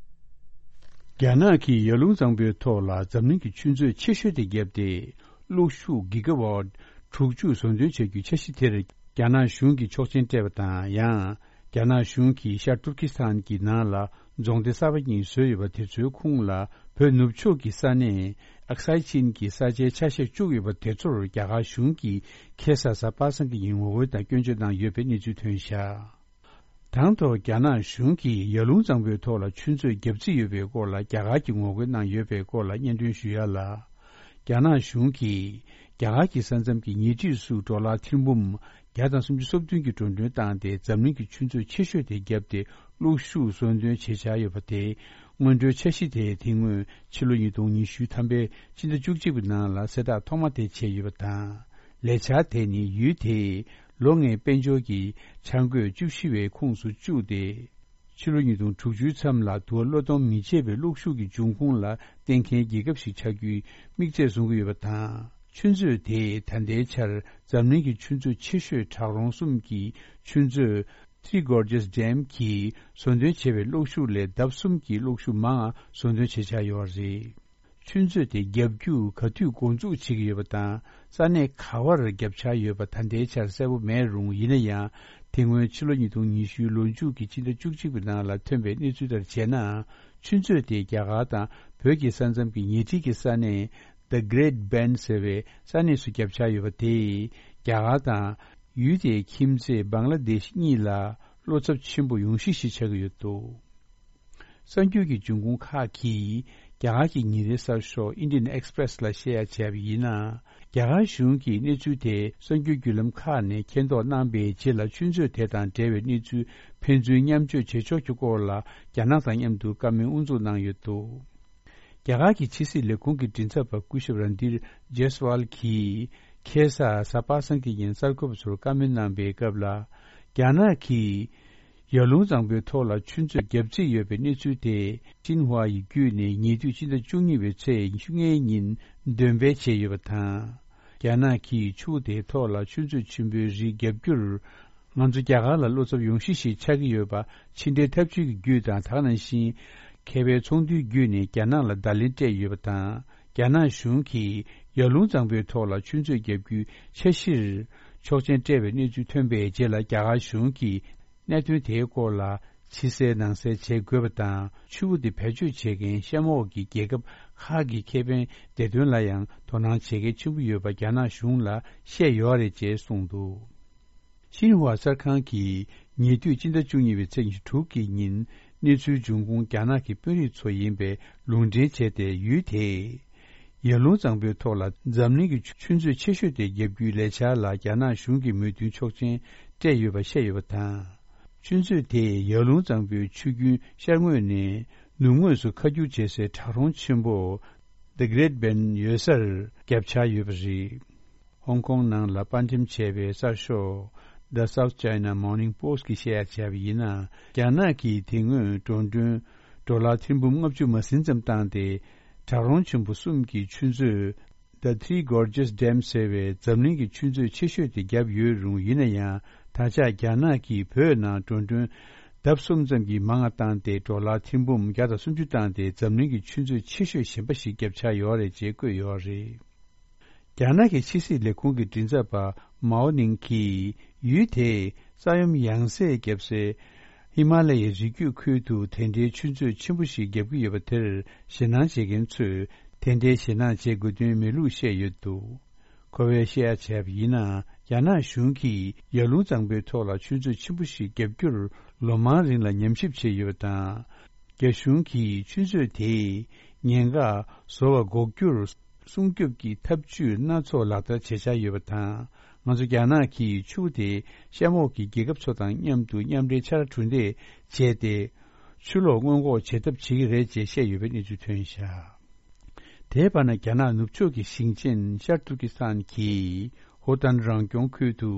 རྒྱ་ནག་གིས་ཡར་ཀླུང་གཙང་པོའི་ཐོག་ལ་འཛམ་གླིང་གི་ཆུ་མཛོད་ཆེ་ཤོས་དེ་བརྒྱབ་སྟེ། གློག་ཤུགས་གི་ག་ཝཊ་དྲུག་ཅུ་བཟོ་འདོན་བྱ་རྒྱུའི་འཆར་གཞི་དེར་རྒྱ་ནག་གཞུང་གིས་ཆོག་མཆན་སྤྲད་པ་དང་། ཡང་རྒྱ་ནག་གཞུང་གིས་ཤར་ཏུར་ཀི་སི་ཐན་གྱི་ནང་ལ་རྫོང་སྡེ་གསར་པ་གཉིས་བཟོས་ཡོད་པ་དེ་ཚོའི་ཁོངས་ལ་བོད་ནུབ་ཕྱོགས་ཀྱི་ས་གནས་ཨག་སའི་ཆིན་གྱི་ས་ཆའི་ཆ་ཤས་བཅུག་ཡོད་པ་དེ་ཚོར་རྒྱ་གར་གཞུང་གིས་ཁ་སང་གཟའ་པ་སངས་ཀྱི་ཉིན་ངོ་རྒོལ་དང་སྐྱོན་བརྗོད་གནང་ཡོད་པའི་གནས་ཚུལ་ཐོན་བཞག་དང་ཐོག་རྒྱ་ནག་གཞུང་གིས་ཡར་ཀླུང་གཙང་པོའི་ཐོག་ལ་ཆུ་མཛོད་བརྒྱབ་རྩིས་ཡོད་པའི་སྐོར་ལ་རྒྱ་གར་གྱིས་ངོ་རྒོལ་གནང་ཡོད་པའི་སྐོར་ལ་སྙན་སྒྲོན་ཞུ་ཡ་ལ། རྒྱ་ནག་གཞུང་གིས་རྒྱ་གར་གྱི་ས་མཚམས་ཀྱི་ཉེ་འཁྲིས་སུ་ཌོ་ལར་ཐེར་འབུམ་བརྒྱ་དང་སུམ་ཅུ་སོ་བདུན་གྱི་འགྲོ་གྲོན་བཏང་སྟེ་འཛམ་གླིང་གི་ཆུ་མཛོད་ཆེ་ཤོས་དེ་བརྒྱབ་སྟེ་གློག་ཤུགས་བཟོ་འདོན་བྱེད་འཆར་ཡོད་པ་དེ། སྔོན་འགྲོའི་འཆར་གཞི་དེ་དེ་སྔོན་ཕྱི་ལོ་ཉིས་སྟོང་ཉི་ཤུ་ཐམ་པའི་སྤྱི་ཟླ་བཅུ་གཅིག་པའི་ནང་ལ་གསལ་བསྒྲགས་ཐོག་མ་དེ་བྱས་ཡོད་པ་དང་། ལས་འཆར་དེ་ནི་ཡུལ་དེའི་ལོ་ལྔའི་དཔལ་འབྱོར་གྱི་འཆར་འགོད་བཅུ་བཞི་པའི་ཁོངས་སུ་བཅུག་སྟེ། ཕྱི་ལོ་ཉིས་སྟོང་དྲུག་ཅུའི་མཚམས་ལ་དུ་བ་གློད་གཏོང་མི་བྱེད་པའི་གློག་ཤུགས་ཀྱི་འབྱུང་ཁུངས་ལ་བརྟེན་མཁན་རྒྱལ་ཁབ་ཞིག་ཆགས་རྒྱུའི་དམིགས་ཚད་བཟུང་གི་ཡོད་པ་དང་། ཆུ་མཛོད་དེས་ད་ལྟའི་ཆར་འཛམ་གླིང་གི་ཆུ་མཛོད་ཆེ་ཤོས་བྲག་རོང་གསུམ་གྱི་ཆུ་མཛོད་Three Gorges Dam གིས་བཟོ་འདོན་བྱས་པའི་གློག་ཤུགས་ལས་ལྡབ་གསུམ་གྱི་གློག་ཤུགས་མང་བ་བཟོ་འདོན་བྱེད་འཆར་ཡོད་པ་རེད། ཆུ་མཛོད་དེ་བརྒྱབ་རྒྱུ་ག་དུས་འགོ་འཛུགས་བྱེད་ཀྱི་ཡོད་པ་དང་། ས་གནས་ག་བར་བརྒྱབ་འཆར་ཡོད་པ་ད་ལྟའི་ཆར་གསལ་པོ་མེད་རུང་། ཡིན་ན་ཡང་དེ་སྔོན་ཕྱི་ལོ་ཉིས་སྟོང་ཉི་ཤུའི་ལོ་མཇུག་གི་སྤྱི་ཟླ་བཅུ་གཅིག་པའི་ནང་ལ་ཐོན་པའི་གནས་ཚུལ་ལྟར་བྱས་ན། ཆུ་མཛོད་དེ་རྒྱ་གར་དང་བོད་ཀྱི་ས་མཚམས་ཀྱི་ཉེ་འཁྲིས་ཀྱི་ས་གནས་The Great Bend ཟེར་བའི་ས་གནས་སུ་བརྒྱབ་འཆར་ཡོད་པ་དེས་རྒྱ་གར་དང་ཡུལ་དེའི་ཁྱིམ་མཚེས་བང་ལ་དེཤ་གཉིས་ལ་བློ་འཚབ་ཆེན་པོ་ཡོང་གཞི་ཞིག་ཆགས་ཀྱི་ཡོད་འདུག་གསར་འགྱུར་གྱི་འབྱུང་ཁུངས་ཁག་གིས་རྒྱ་གར་གྱི་ཉིན་རེའི་གསར་ཤོག་Indian Express ལ་བཤད་ཡ་བྱས་པ་ཡིན་ན། རྒྱ་གར་གཞུང་གིས་གནས་ཚུལ་དེ་གསར་འགྱུར་བརྒྱུད་ལམ་ཁག་ནས་མཁྱེན་རྟོགས་གནང་པའི་རྗེས་ལ་ཆུ་མཛོད་དེ་དང་འབྲེལ་བའི་གནས་ཚུལ་ཕན་ཚུན་མཉམ་སྤྱོད་བྱེད་ཕྱོགས་ཀྱི་སྐོར་ལ་རྒྱ་ནག་དང་མཉམ་དུ་བཀའ་མོལ་དབུ་འཛུགས་གནང་ཡོད་འདུག་རྒྱ་གར་གྱི་ཕྱི་སྲིད་ལས་ཁུངས་ཀྱི་མགྲིན་ཚབ་པ་སྐུ་ཞབས་རན་དིར་ཇེ་སི་ཝལ་གྱིས་ཁ་སང་གཟའ་པ་སངས་ཀྱི་ཉིན་གསར་འགོད་པ་ཚོར་བཀའ་མོལ་གནང་པའི་སྐབས་ལ། རྒྱ་ནག་གིས་ཡར་ཀླུང་གཙང་པོའི་ཐོག་ལ་ཆུ་མཛོད་བརྒྱབ་རྩིས་ཡོད་པའི་གནས་ཚུལ་དེ་ཤིན་ཧྭ་ཡི་བརྒྱུད་ནས་ཉེ་དུས་སྤྱི་ཟླ་བཅུ་གཉིས་པའི་ཚེས་ཉེར་ལྔའི་ཉིན་འདོན་སྤེལ་བྱས་ཡོད་པ་དང་། རྒྱ་ནག་གིས་ཆུ་བོ་དེའི་ཐོག་ལ་ཆུ་མཛོད་ཆེན་པོའི་རིགས་བརྒྱབ་རྒྱུར། ང་ཚོ་རྒྱ་གར་ལ་བློ་འཚབ་ཡོང་གཞི་ཞིག་ཆགས་ཀྱི་ཡོད་པ་ཕྱི་འབྲེལ་འཐབ་ཇུས་ཀྱི་བརྒྱུད་དང་། ད་ག་ནང་བཞིན་མཁས་པའི་ཚོགས་འདུའི་བརྒྱུད་ནས་རྒྱ་ནག་ལ་བརྡ་ལན་སྤྲད་ཡོད་པ་དང་། རྒྱ་ནག་གཞུང་གིས་ཡར་ཀླུང་གཙང་པོའི་ཐོག་ལ་ཆུ་མཛོད་བརྒྱབ་རྒྱུའི་འཆར་གཞིར་ཆོག་མཆན་སྤྲད་པའི་གནས་ཚུལ་ཐོན་པའི་རྗེས་ལ། རྒྱ་གར་གཞུང་གིས་གནད་དོན་དེའི་སྐོར་ལ་ཕྱི་གསལ་ནང་གསལ་བྱེད་དགོས་པ་དང་། ཆུ་བོ་དེ་བེད་སྤྱོད་བྱེད་མཁན་གཤམ་འོག་གི་རྒྱལ་ཁབ་ཁག་གི་ཁེ་ཕན་བདེ་དོན་ལ་ཡང་དོ་སྣང་བྱེད་གལ་ཆེན་པོ་ཡོད་པ་རྒྱ་ནག་གཞུང་ལ་བཤད་ཡོད་རེད་ཅེས་གསུངས་འདུག་ཤིན་ཧྭ་གསར་ཁང་གིས་ཉེ་དུས་སྤྱི་ཟླ་བཅུ་གཉིས་པའི་ཚེས་ཉི་ཤུ་དྲུག་གི་ཉིན་གནས་ཚུལ་འབྱུང་ཁུངས་རྒྱ་ནག་གི་དཔོན་རིགས་ཚོ་ཡིན་པའི་ལུང་འདྲེན་བྱས་ཏེ། ཡུལ་དེས་ཡར་ཀླུང་གཙང་པོའི་ཐོག་ལ་འཛམ་གླིང་གི་ཆུ་མཛོད་ཆེ་ཤོས་དེ་བརྒྱབ་རྒྱུའི་ལས་འཆར་ལ་རྒྱ་ནག་གཞུང་གི་མོས་མཐུན་ཆོག་མཆན་སྤྲད་ཡོད་པ་བཤད་ཡོད་པ་དང་། ཆུ་མཛོད་དེས་ཡར་ཀླུང་གཙང་པོའི་ཆུ་རྒྱུན་ཤར་ངོས་ནས་ ནུབ་ངོས་སུ་ཁ་བསྒྱུར་བྱེད་སའི་བྲག་རོང་ཆེན་པོ་The Great Bend ཡོད་སར་བརྒྱབ་འཆར་ཡོད་པ་རེད། ཧོང་ཀོང་ནང་ལ་དཔར་འགྲེམས་བྱས་པའི་གསར་ཤོག་The South China Morning Post གིས་བཤད་ཡ་བྱས་པ་ཡིན་ན། རྒྱ་ནག་གིས་དེ་སྔོན་འགྲོ་གྲོན་ཌོ་ལར་ཐེར་འབུམ་ལྔ་བཅུ་མ་ཟིན་ཙམ་བཏང་སྟེ། བྲག་རོང་ཆེན་པོ་གསུམ་གྱི་ཆུ་མཛོད་The Three Gorges Dam ཟེར་བའི་འཛམ་གླིང་གི་ཆུ་མཛོད་ཆེ་ཤོས་དེ་བརྒྱབ་ཡོད་རུང་། ཡིན་ན་ཡང་ད་ཆ་རྒྱ་ནག་གིས་བོད་ནང་འགྲོ་གྲོན་ལྡབ་གསུམ་ཙམ་གྱིས་མང་བ་བཏང་སྟེ། ཌོ་ལར་ཐེར་འབུམ་བརྒྱ་དང་སུམ་ཅུ་བཏང་སྟེ། འཛམ་གླིང་གི་ཆུ་མཛོད་ཆེ་ཤོས་གཞན་པ་ཞིག་བརྒྱབ་འཆར་ཡོད་རེད་ཅེས་བཀོད་ཡོད་རེད། རྒྱ་ནག་གི་ཕྱི་སྲིད་ལས་ཁུངས་ཀྱི་མགྲིན་ཚབ་པ་མའོ་ནིང་གིས། ཡུལ་དེས་ས་ཡོམ་ཡང་སེ་བརྒྱབ་སའི་ཧི་མ་ལ་ཡའི་རི་རྒྱུད་ཁུལ་དུ་དེ་འདྲའི་ཆུ་མཛོད་ཆེན་པོ་ཞིག་བརྒྱབ་ཀྱི་ཡོད་པ་དེར། ཞེད་སྣང་བྱེད་མཁན་ཚོས་དེ་འདྲའི་ཞེད་སྣང་བྱེད་དགོས་དོན་མེད་ལུགས་བཤད་ཡོད་འདུག། ཁོ་བས་བཤད་ཡ་བྱས་པ་ཡིན་ན། རྒྱ་ནག་གཞུང་གིས་ཡར་ཀླུང་གཙང་པོའི་ཐོག་ལ་ཆུ་མཛོད་ཆེན་པོ་ཞིག་བརྒྱབ་རྒྱུར་ལོ་མང་རིང་ལ་ཉམས་ཞིབ་བྱས་ཡོད་པ་དང་། རྒྱ་གཞུང་གིས་ཆུ་མཛོད་དེའི་ཉེན་ཁ་བཟོ་བ་འགོག་རྒྱུར་སྲུང་སྐྱོབ་ཀྱི་ཐབས་ཇུས་སྣ་ཚོགས་ལག་བསྟར་བྱེད་འཆར་ཡོད་པ་དང་། ང་ཚོ་རྒྱ་ནག་གིས་ཆུ་དེ་གཤམ་འོག་གི་རྒྱལ་ཁབ་ཚོ་དང་མཉམ་དུ་མཉམ་འབྲེལ་ཕྱག་ལས་གྲུ་འདེགས་བྱས་ཏེ། ཆུ་ལོག་སྔོན་འགོག་བྱེད་ཐབས་བྱེད་ཀྱི་རེད་ཅེས་བཤད་ཡོད་པའི་གནས་ཚུལ་ཐོན་བཞག། དེའི་བར་ན། རྒྱ་ནག་ནུབ་ཕྱོགས་ཀྱི་ཞིང་ཆེན་ཤར་ཏུར་ཀི་སི་ཐན་གྱི་ཧོ་ཏན་རང་སྐྱོང་ཁུལ་དུ།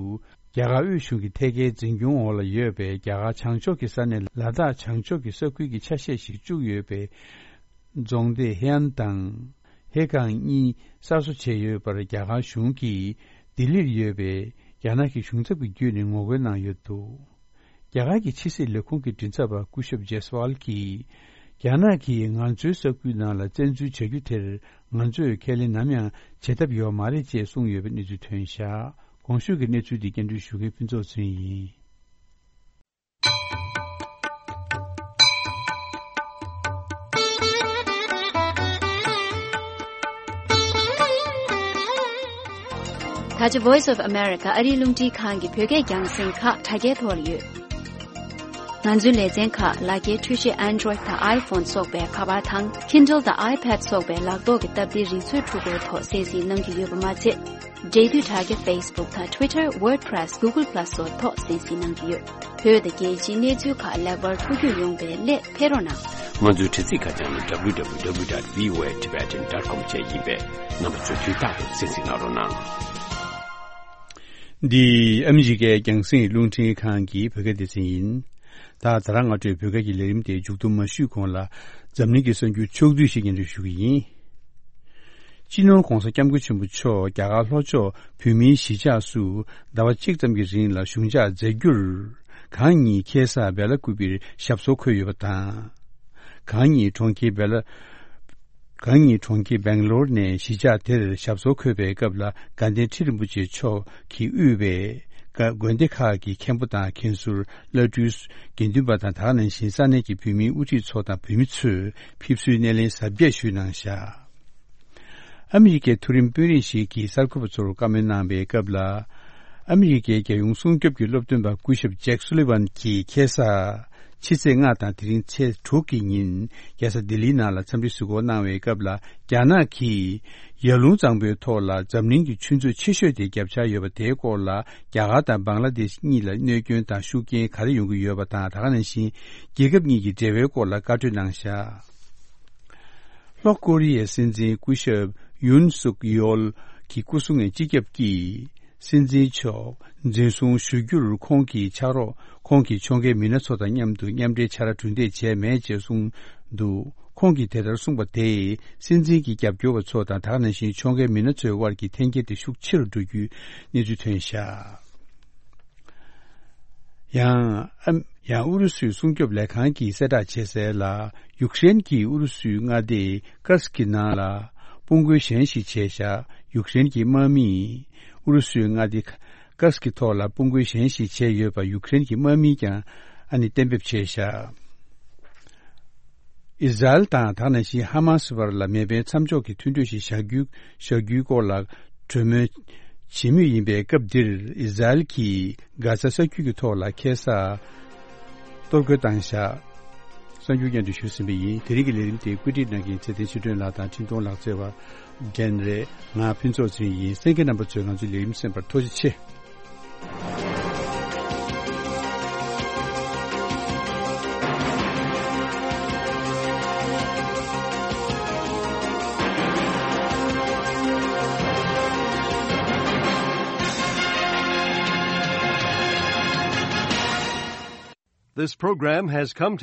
རྒྱ་གར་དབུས་གཞུང་གི་ཐད་ཀའི་འཛིན་སྐྱོང་འོག་ལ་ཡོད་པའི་རྒྱ་གར་བྱང་ཕྱོགས་ཀྱི་ས་གནས་ལ་དྭགས་བྱང་ཕྱོགས་ཀྱི་ས་ཁུལ་གྱི་ཆ་ཤས་ཤིག་བཅུག་ཡོད་པའི་རྫོང་སྡེ་ཧེ་ཨན་དང་ཧེ་ཀང་གཉིས་གསར་བཟོ་བྱས་ཡོད་པར། རྒྱ་གར་གཞུང་གིས་ལྡི་ལིར་ཡོད་པའི་རྒྱ་ནག་གི་གཞུང་ཚབ་ཀྱི་བརྒྱུད་ནས་ངོ་རྒོལ་གནང་ཡོད་འདུག། རྒྱ་གར་གྱི་ཕྱི་སྲིད་ལས་ཁུངས་ཀྱི་མགྲིན་ཚབ་པ་སྐུ་ཞབས་ཇེ་སི་ཝལ་གྱིས། རྒྱ་ནག་གིས་ང་ཚོའི་ས་ཁུལ་ནང་ལ་བཙན་འཛུལ་བྱ་རྒྱུ་དེར། ང་ཚོས་ཁས་ལེན་ནམ་ཡང་བྱེད་ཐབས་ཡོད་མ་རེད་ཅེས་གསུངས་ཡོད་པའི་གནས་ཚུལ་ཐོན་བཞག། གོང་ཞུས་ཀྱི་གནས་ཚུལ་འདི་སྙན་སྒྲོན་ཞུ་མཁན་ཕུན་ཚོགས་ཚུན་ཡིན། ད་ཆ་Voice of America ཨ་རིའི་རླུང་འཕྲིན་ཁང་གི་བོད་སྐད་རྒྱང་སྲིང་ཁག་དྲ་རྒྱའི་ཐོག་ལ་ཡོད། ང་ཚོའི་ལེ་ཚན་ཁག་ལག་འཁྱེར་འཕྲུལ་ཆས་Android དང་iPhone སོགས་པའི་ཁ་པར་དང་Kindle དང་iPad སོགས་པའི་ལག་ཐོག་གི་སྟབས་བདེའི་རིག་མཛོད་འཕྲུལ་འཁོར་ཐོག་གསན་གཟིགས་གནང་རྒྱུ་ཡོད་པ་མ་ཚད། འབྲེལ་མཐུད་དྲ་རྒྱ་Facebook དང་Twitter, WordPress, Google Plus སོགས་ཐོག་གསན་གཟིགས་གནང་རྒྱུ་ཡོད། བོད་དང་རྒྱལ་སྤྱིའི་གནས་ཚུལ་ཁག་ལེགས་པར་ཐུགས་རྒྱུས་ཡོང་བའི་སླད་ཕེབས་རོགས་གནང་། ང་ཚོའི་དྲ་ཚིགས་ཁ་བྱང་ནི་W W W dot V O A Tibetan dot com བཅས་ཡིན་པས། རྣམ་པ་ཚོས་དུས་རྟག་ཏུ་གསན་གཟིགས་གནང་རོགས་གནང་། འདི་ཨ་མི་རི་ཀའི་རྒྱང་སྲིང་རླུང་འཕྲིན་ཁང་གི་བོད་སྐད་སྡེ་ཚན་ཡིན། ད་ད་རང་སྔ་དྲོའི་བོད་སྐད་ཀྱི་ལས་རིམ་དེ་མཇུག་བསྡོམས་མ་ཞུས་གོང་ལ། འཛམ་གླིང་གི་གསར་འགྱུར་ཕྱོགས་བསྡུས་ཤིག་སྙན་སྒྲོན་ཞུ་གི་ཡིན། སྤྱི་ནོར་༧གོང་ས་༧སྐྱབས་མགོན་ཆེན་པོ་མཆོག་རྒྱ་གར་ལྷོ་ཕྱོགས་བོད་མིའི་གཞིས་ཆགས་སུ་ཟླ་བ་གཅིག་ཙམ་གྱི་རིང་ལ་བཞུགས་འཇགས་མཛད་རྒྱུར། གང་ཉིད་ཁེ་ས་བེ་ལ་ཀུ་པིར་ཞབས་སོར་འཁོད་ཡོད་པ་དང་། གང་ཉིད་གྲོང་ཁྱེར་བེ་ལ། གང་ཉིད་གྲོང་ཁྱེར་སྦེང་ལོར་ནས་གཞིས་ཆགས་དེར་ཞབས་སོར་འཁོད་པའི་སྐབས་ལ། དགའ་ལྡན་ཁྲི་རིན་པོ་ཆེ་མཆོག་གིས་དབུས་པའི་དགའ་དགོན་སྡེ་ཁག་གི་མཁན་པོ་དང་མཁན་ཟུར། བླ་སྤྲུལ། དགེ་འདུན་པ་དང་། དེ་ག་ནང་བཞིན་ས་གནས་ཀྱི་བོད་མིའི་དབུ་ཁྲིད་ཚོ་དང་བོད་མི་ཚོས་ཕེབས་བསུའི་སྣེ་ལེན་གཟབ་རྒྱས་ཞུས་གནང་བཞག། ཨ་མི་རི་ཀའི་མཐོ་རིམ་དཔོན་རིགས་ཤིག་གིས་གསར་འགོད་པ་ཚོར་བཀའ་མོལ་གནང་བའི་སྐབས་ལ། ཨ་མི་རི་ཀའི་རྒྱལ་ཡོངས་སྲུང་སྐྱོབ་ཀྱི་སློབ་སྟོན་པ་སྐུ་ཞབས་ཇེག་སུ་ལི་ཝན་གྱིས་ཁ་སང་ཕྱི་ཚེས་ལྔ་དང་དེ་རིང་ཚེས་དྲུག་གི་ཉིན་རྒྱལ་ས་ལྡི་ལིའི་ནང་ལ་འཚམས་འདྲི་གཟིགས་སྐོར་གནང་བའི་སྐབས་ལ། རྒྱ་ནག་གིས་ཡར་ཀླུང་གཙང་པོའི་ཐོག་ལ་འཛམ་གླིང་གི་ཆུ་མཛོད་ཆེ་ཤོས་དེ་བརྒྱབ་འཆར་ཡོད་པ་དེའི་སྐོར་ལ། རྒྱ་གར་དང་བང་ལ་དེཤ་གཉིས་ལ་གནོད་སྐྱོན་དང་ཤུགས་རྐྱེན་ག་རེ་ཡོང་གི་ཡོད་པ་དང་། དེ་ག་ནང་བཞིན་རྒྱལ་ཁབ་གཉིས་ཀྱི་འབྲེལ་བའི་སྐོར་ལ་བཀའ་འཁྲོལ་གནང་བཞག། ལྷོ་ཀོ་རི་ཡའི་སྲིད་འཛིན་སྐུ་ཞབས་ཡུན་སུག་ཡོལ་གྱི་སྐུ་སྲུང་བའི་སྤྱི་ཁྱབ་ཀྱིས། སྲིད་འཛིན་མཆོག་འཛིན་བཟུང་ཞུ་རྒྱུར་ཁོང་གི་ཕྱག་རོགས། ཁོང་གི་ཕྱོགས་འགལ་མི་སྣ་ཚོ་དང་མཉམ་དུ་མཉམ་འབྲེལ་བྱ་ར་གྲུ་འདེགས་བྱས་མེད་ཅེས་གསུངས་འདུག། ཁོང་གིས་དེ་ལྟར་གསུངས་པ་དེས་སྲིད་འཛིན་གྱི་རྒྱབ་སྐྱོར་བ་ཚོ་དང་། དེ་ག་ནང་བཞིན་ཕྱོགས་འགལ་མི་སྣ་ཚོའི་དབར་གྱི་འཐེན་འཁྱེར་དེ་ཤུགས་ཆེ་རུ་འགྲོ་རྒྱུའི་གནས་ཚུལ་ཐོན་བཞག། ཡང་ཨ། ཡང་ཨུ་རུ་སུའི་སྲུང་སྐྱོབ་ལས་ཁང་གིས་གསལ་བསྒྲགས་བྱས་གསལ་ལ། ཡུཀ་རེན་གྱིས་ཨུ་རུ་སུའི་མངའ་སྡེ་ཀར་སི་ཀི་ནང་ལ་དཔུང་རྒོལ་གཞན་ཞིག་བྱས་བཞག། ཡུཀ་རེན་གྱི་དམག་མིས་ཨུ་རུ་སུའི་མངའ་སྡེ་ཀར་སི་ཀི་ཐོག་ལ་དཔུང་རྒོལ་གཞན་ཞིག་བྱས་ཡོད་པ་ཡུཀ་རེན་གྱི་དམག་མིས་ཀྱང་ཨ་ནི་གཏན་འབེབས་བྱས་བཞག། ཨི་ཟ་རེལ་དང་དེ་ག་ནང་བཞིན་ཧ་མ་སི་བར་ལ་མེ་འཕེན་མཚམས་འཇོག་གི་མཐུན་གྲོས་ཤིག་བཞག་རྒྱུའི་བཞག་རྒྱུའི་སྐོར་ལ་གྲོས་མོལ་བྱེད་མུས་ཡིན་པའི་སྐབས་འདིར། ཨི་ཟ་རེལ་གྱིས་གྷ་ཛ་ས་རྒྱུད་ཀྱི་ཐོག་ལ་ཁ་སང་གཏོར་རྒོལ་བཏང་བཞག། གསར་འགྱུར་སྙན་སྒྲོན་ཞུས་ཟིན་པ་ཡིན། དེ་རིང་གི་ལས་རིམ་དེ་བཀོད་སྒྲིག་གནང་མཁན་ཚེ་བརྟན་ཆོས་སྒྲོན་ལགས་དང་འཕྲིན་གཏོང་ལག་རྩལ་བ་ཌེན་རེད། ང་ཕུན་ཚོགས་ཚུན་ཡིན། གསན་མཁན་རྣམ་པ་ཚོས་ང་ཚོའི་ལས་རིམ་གསན་པར་ཐུགས་རྗེ་ཆེ། This program has come to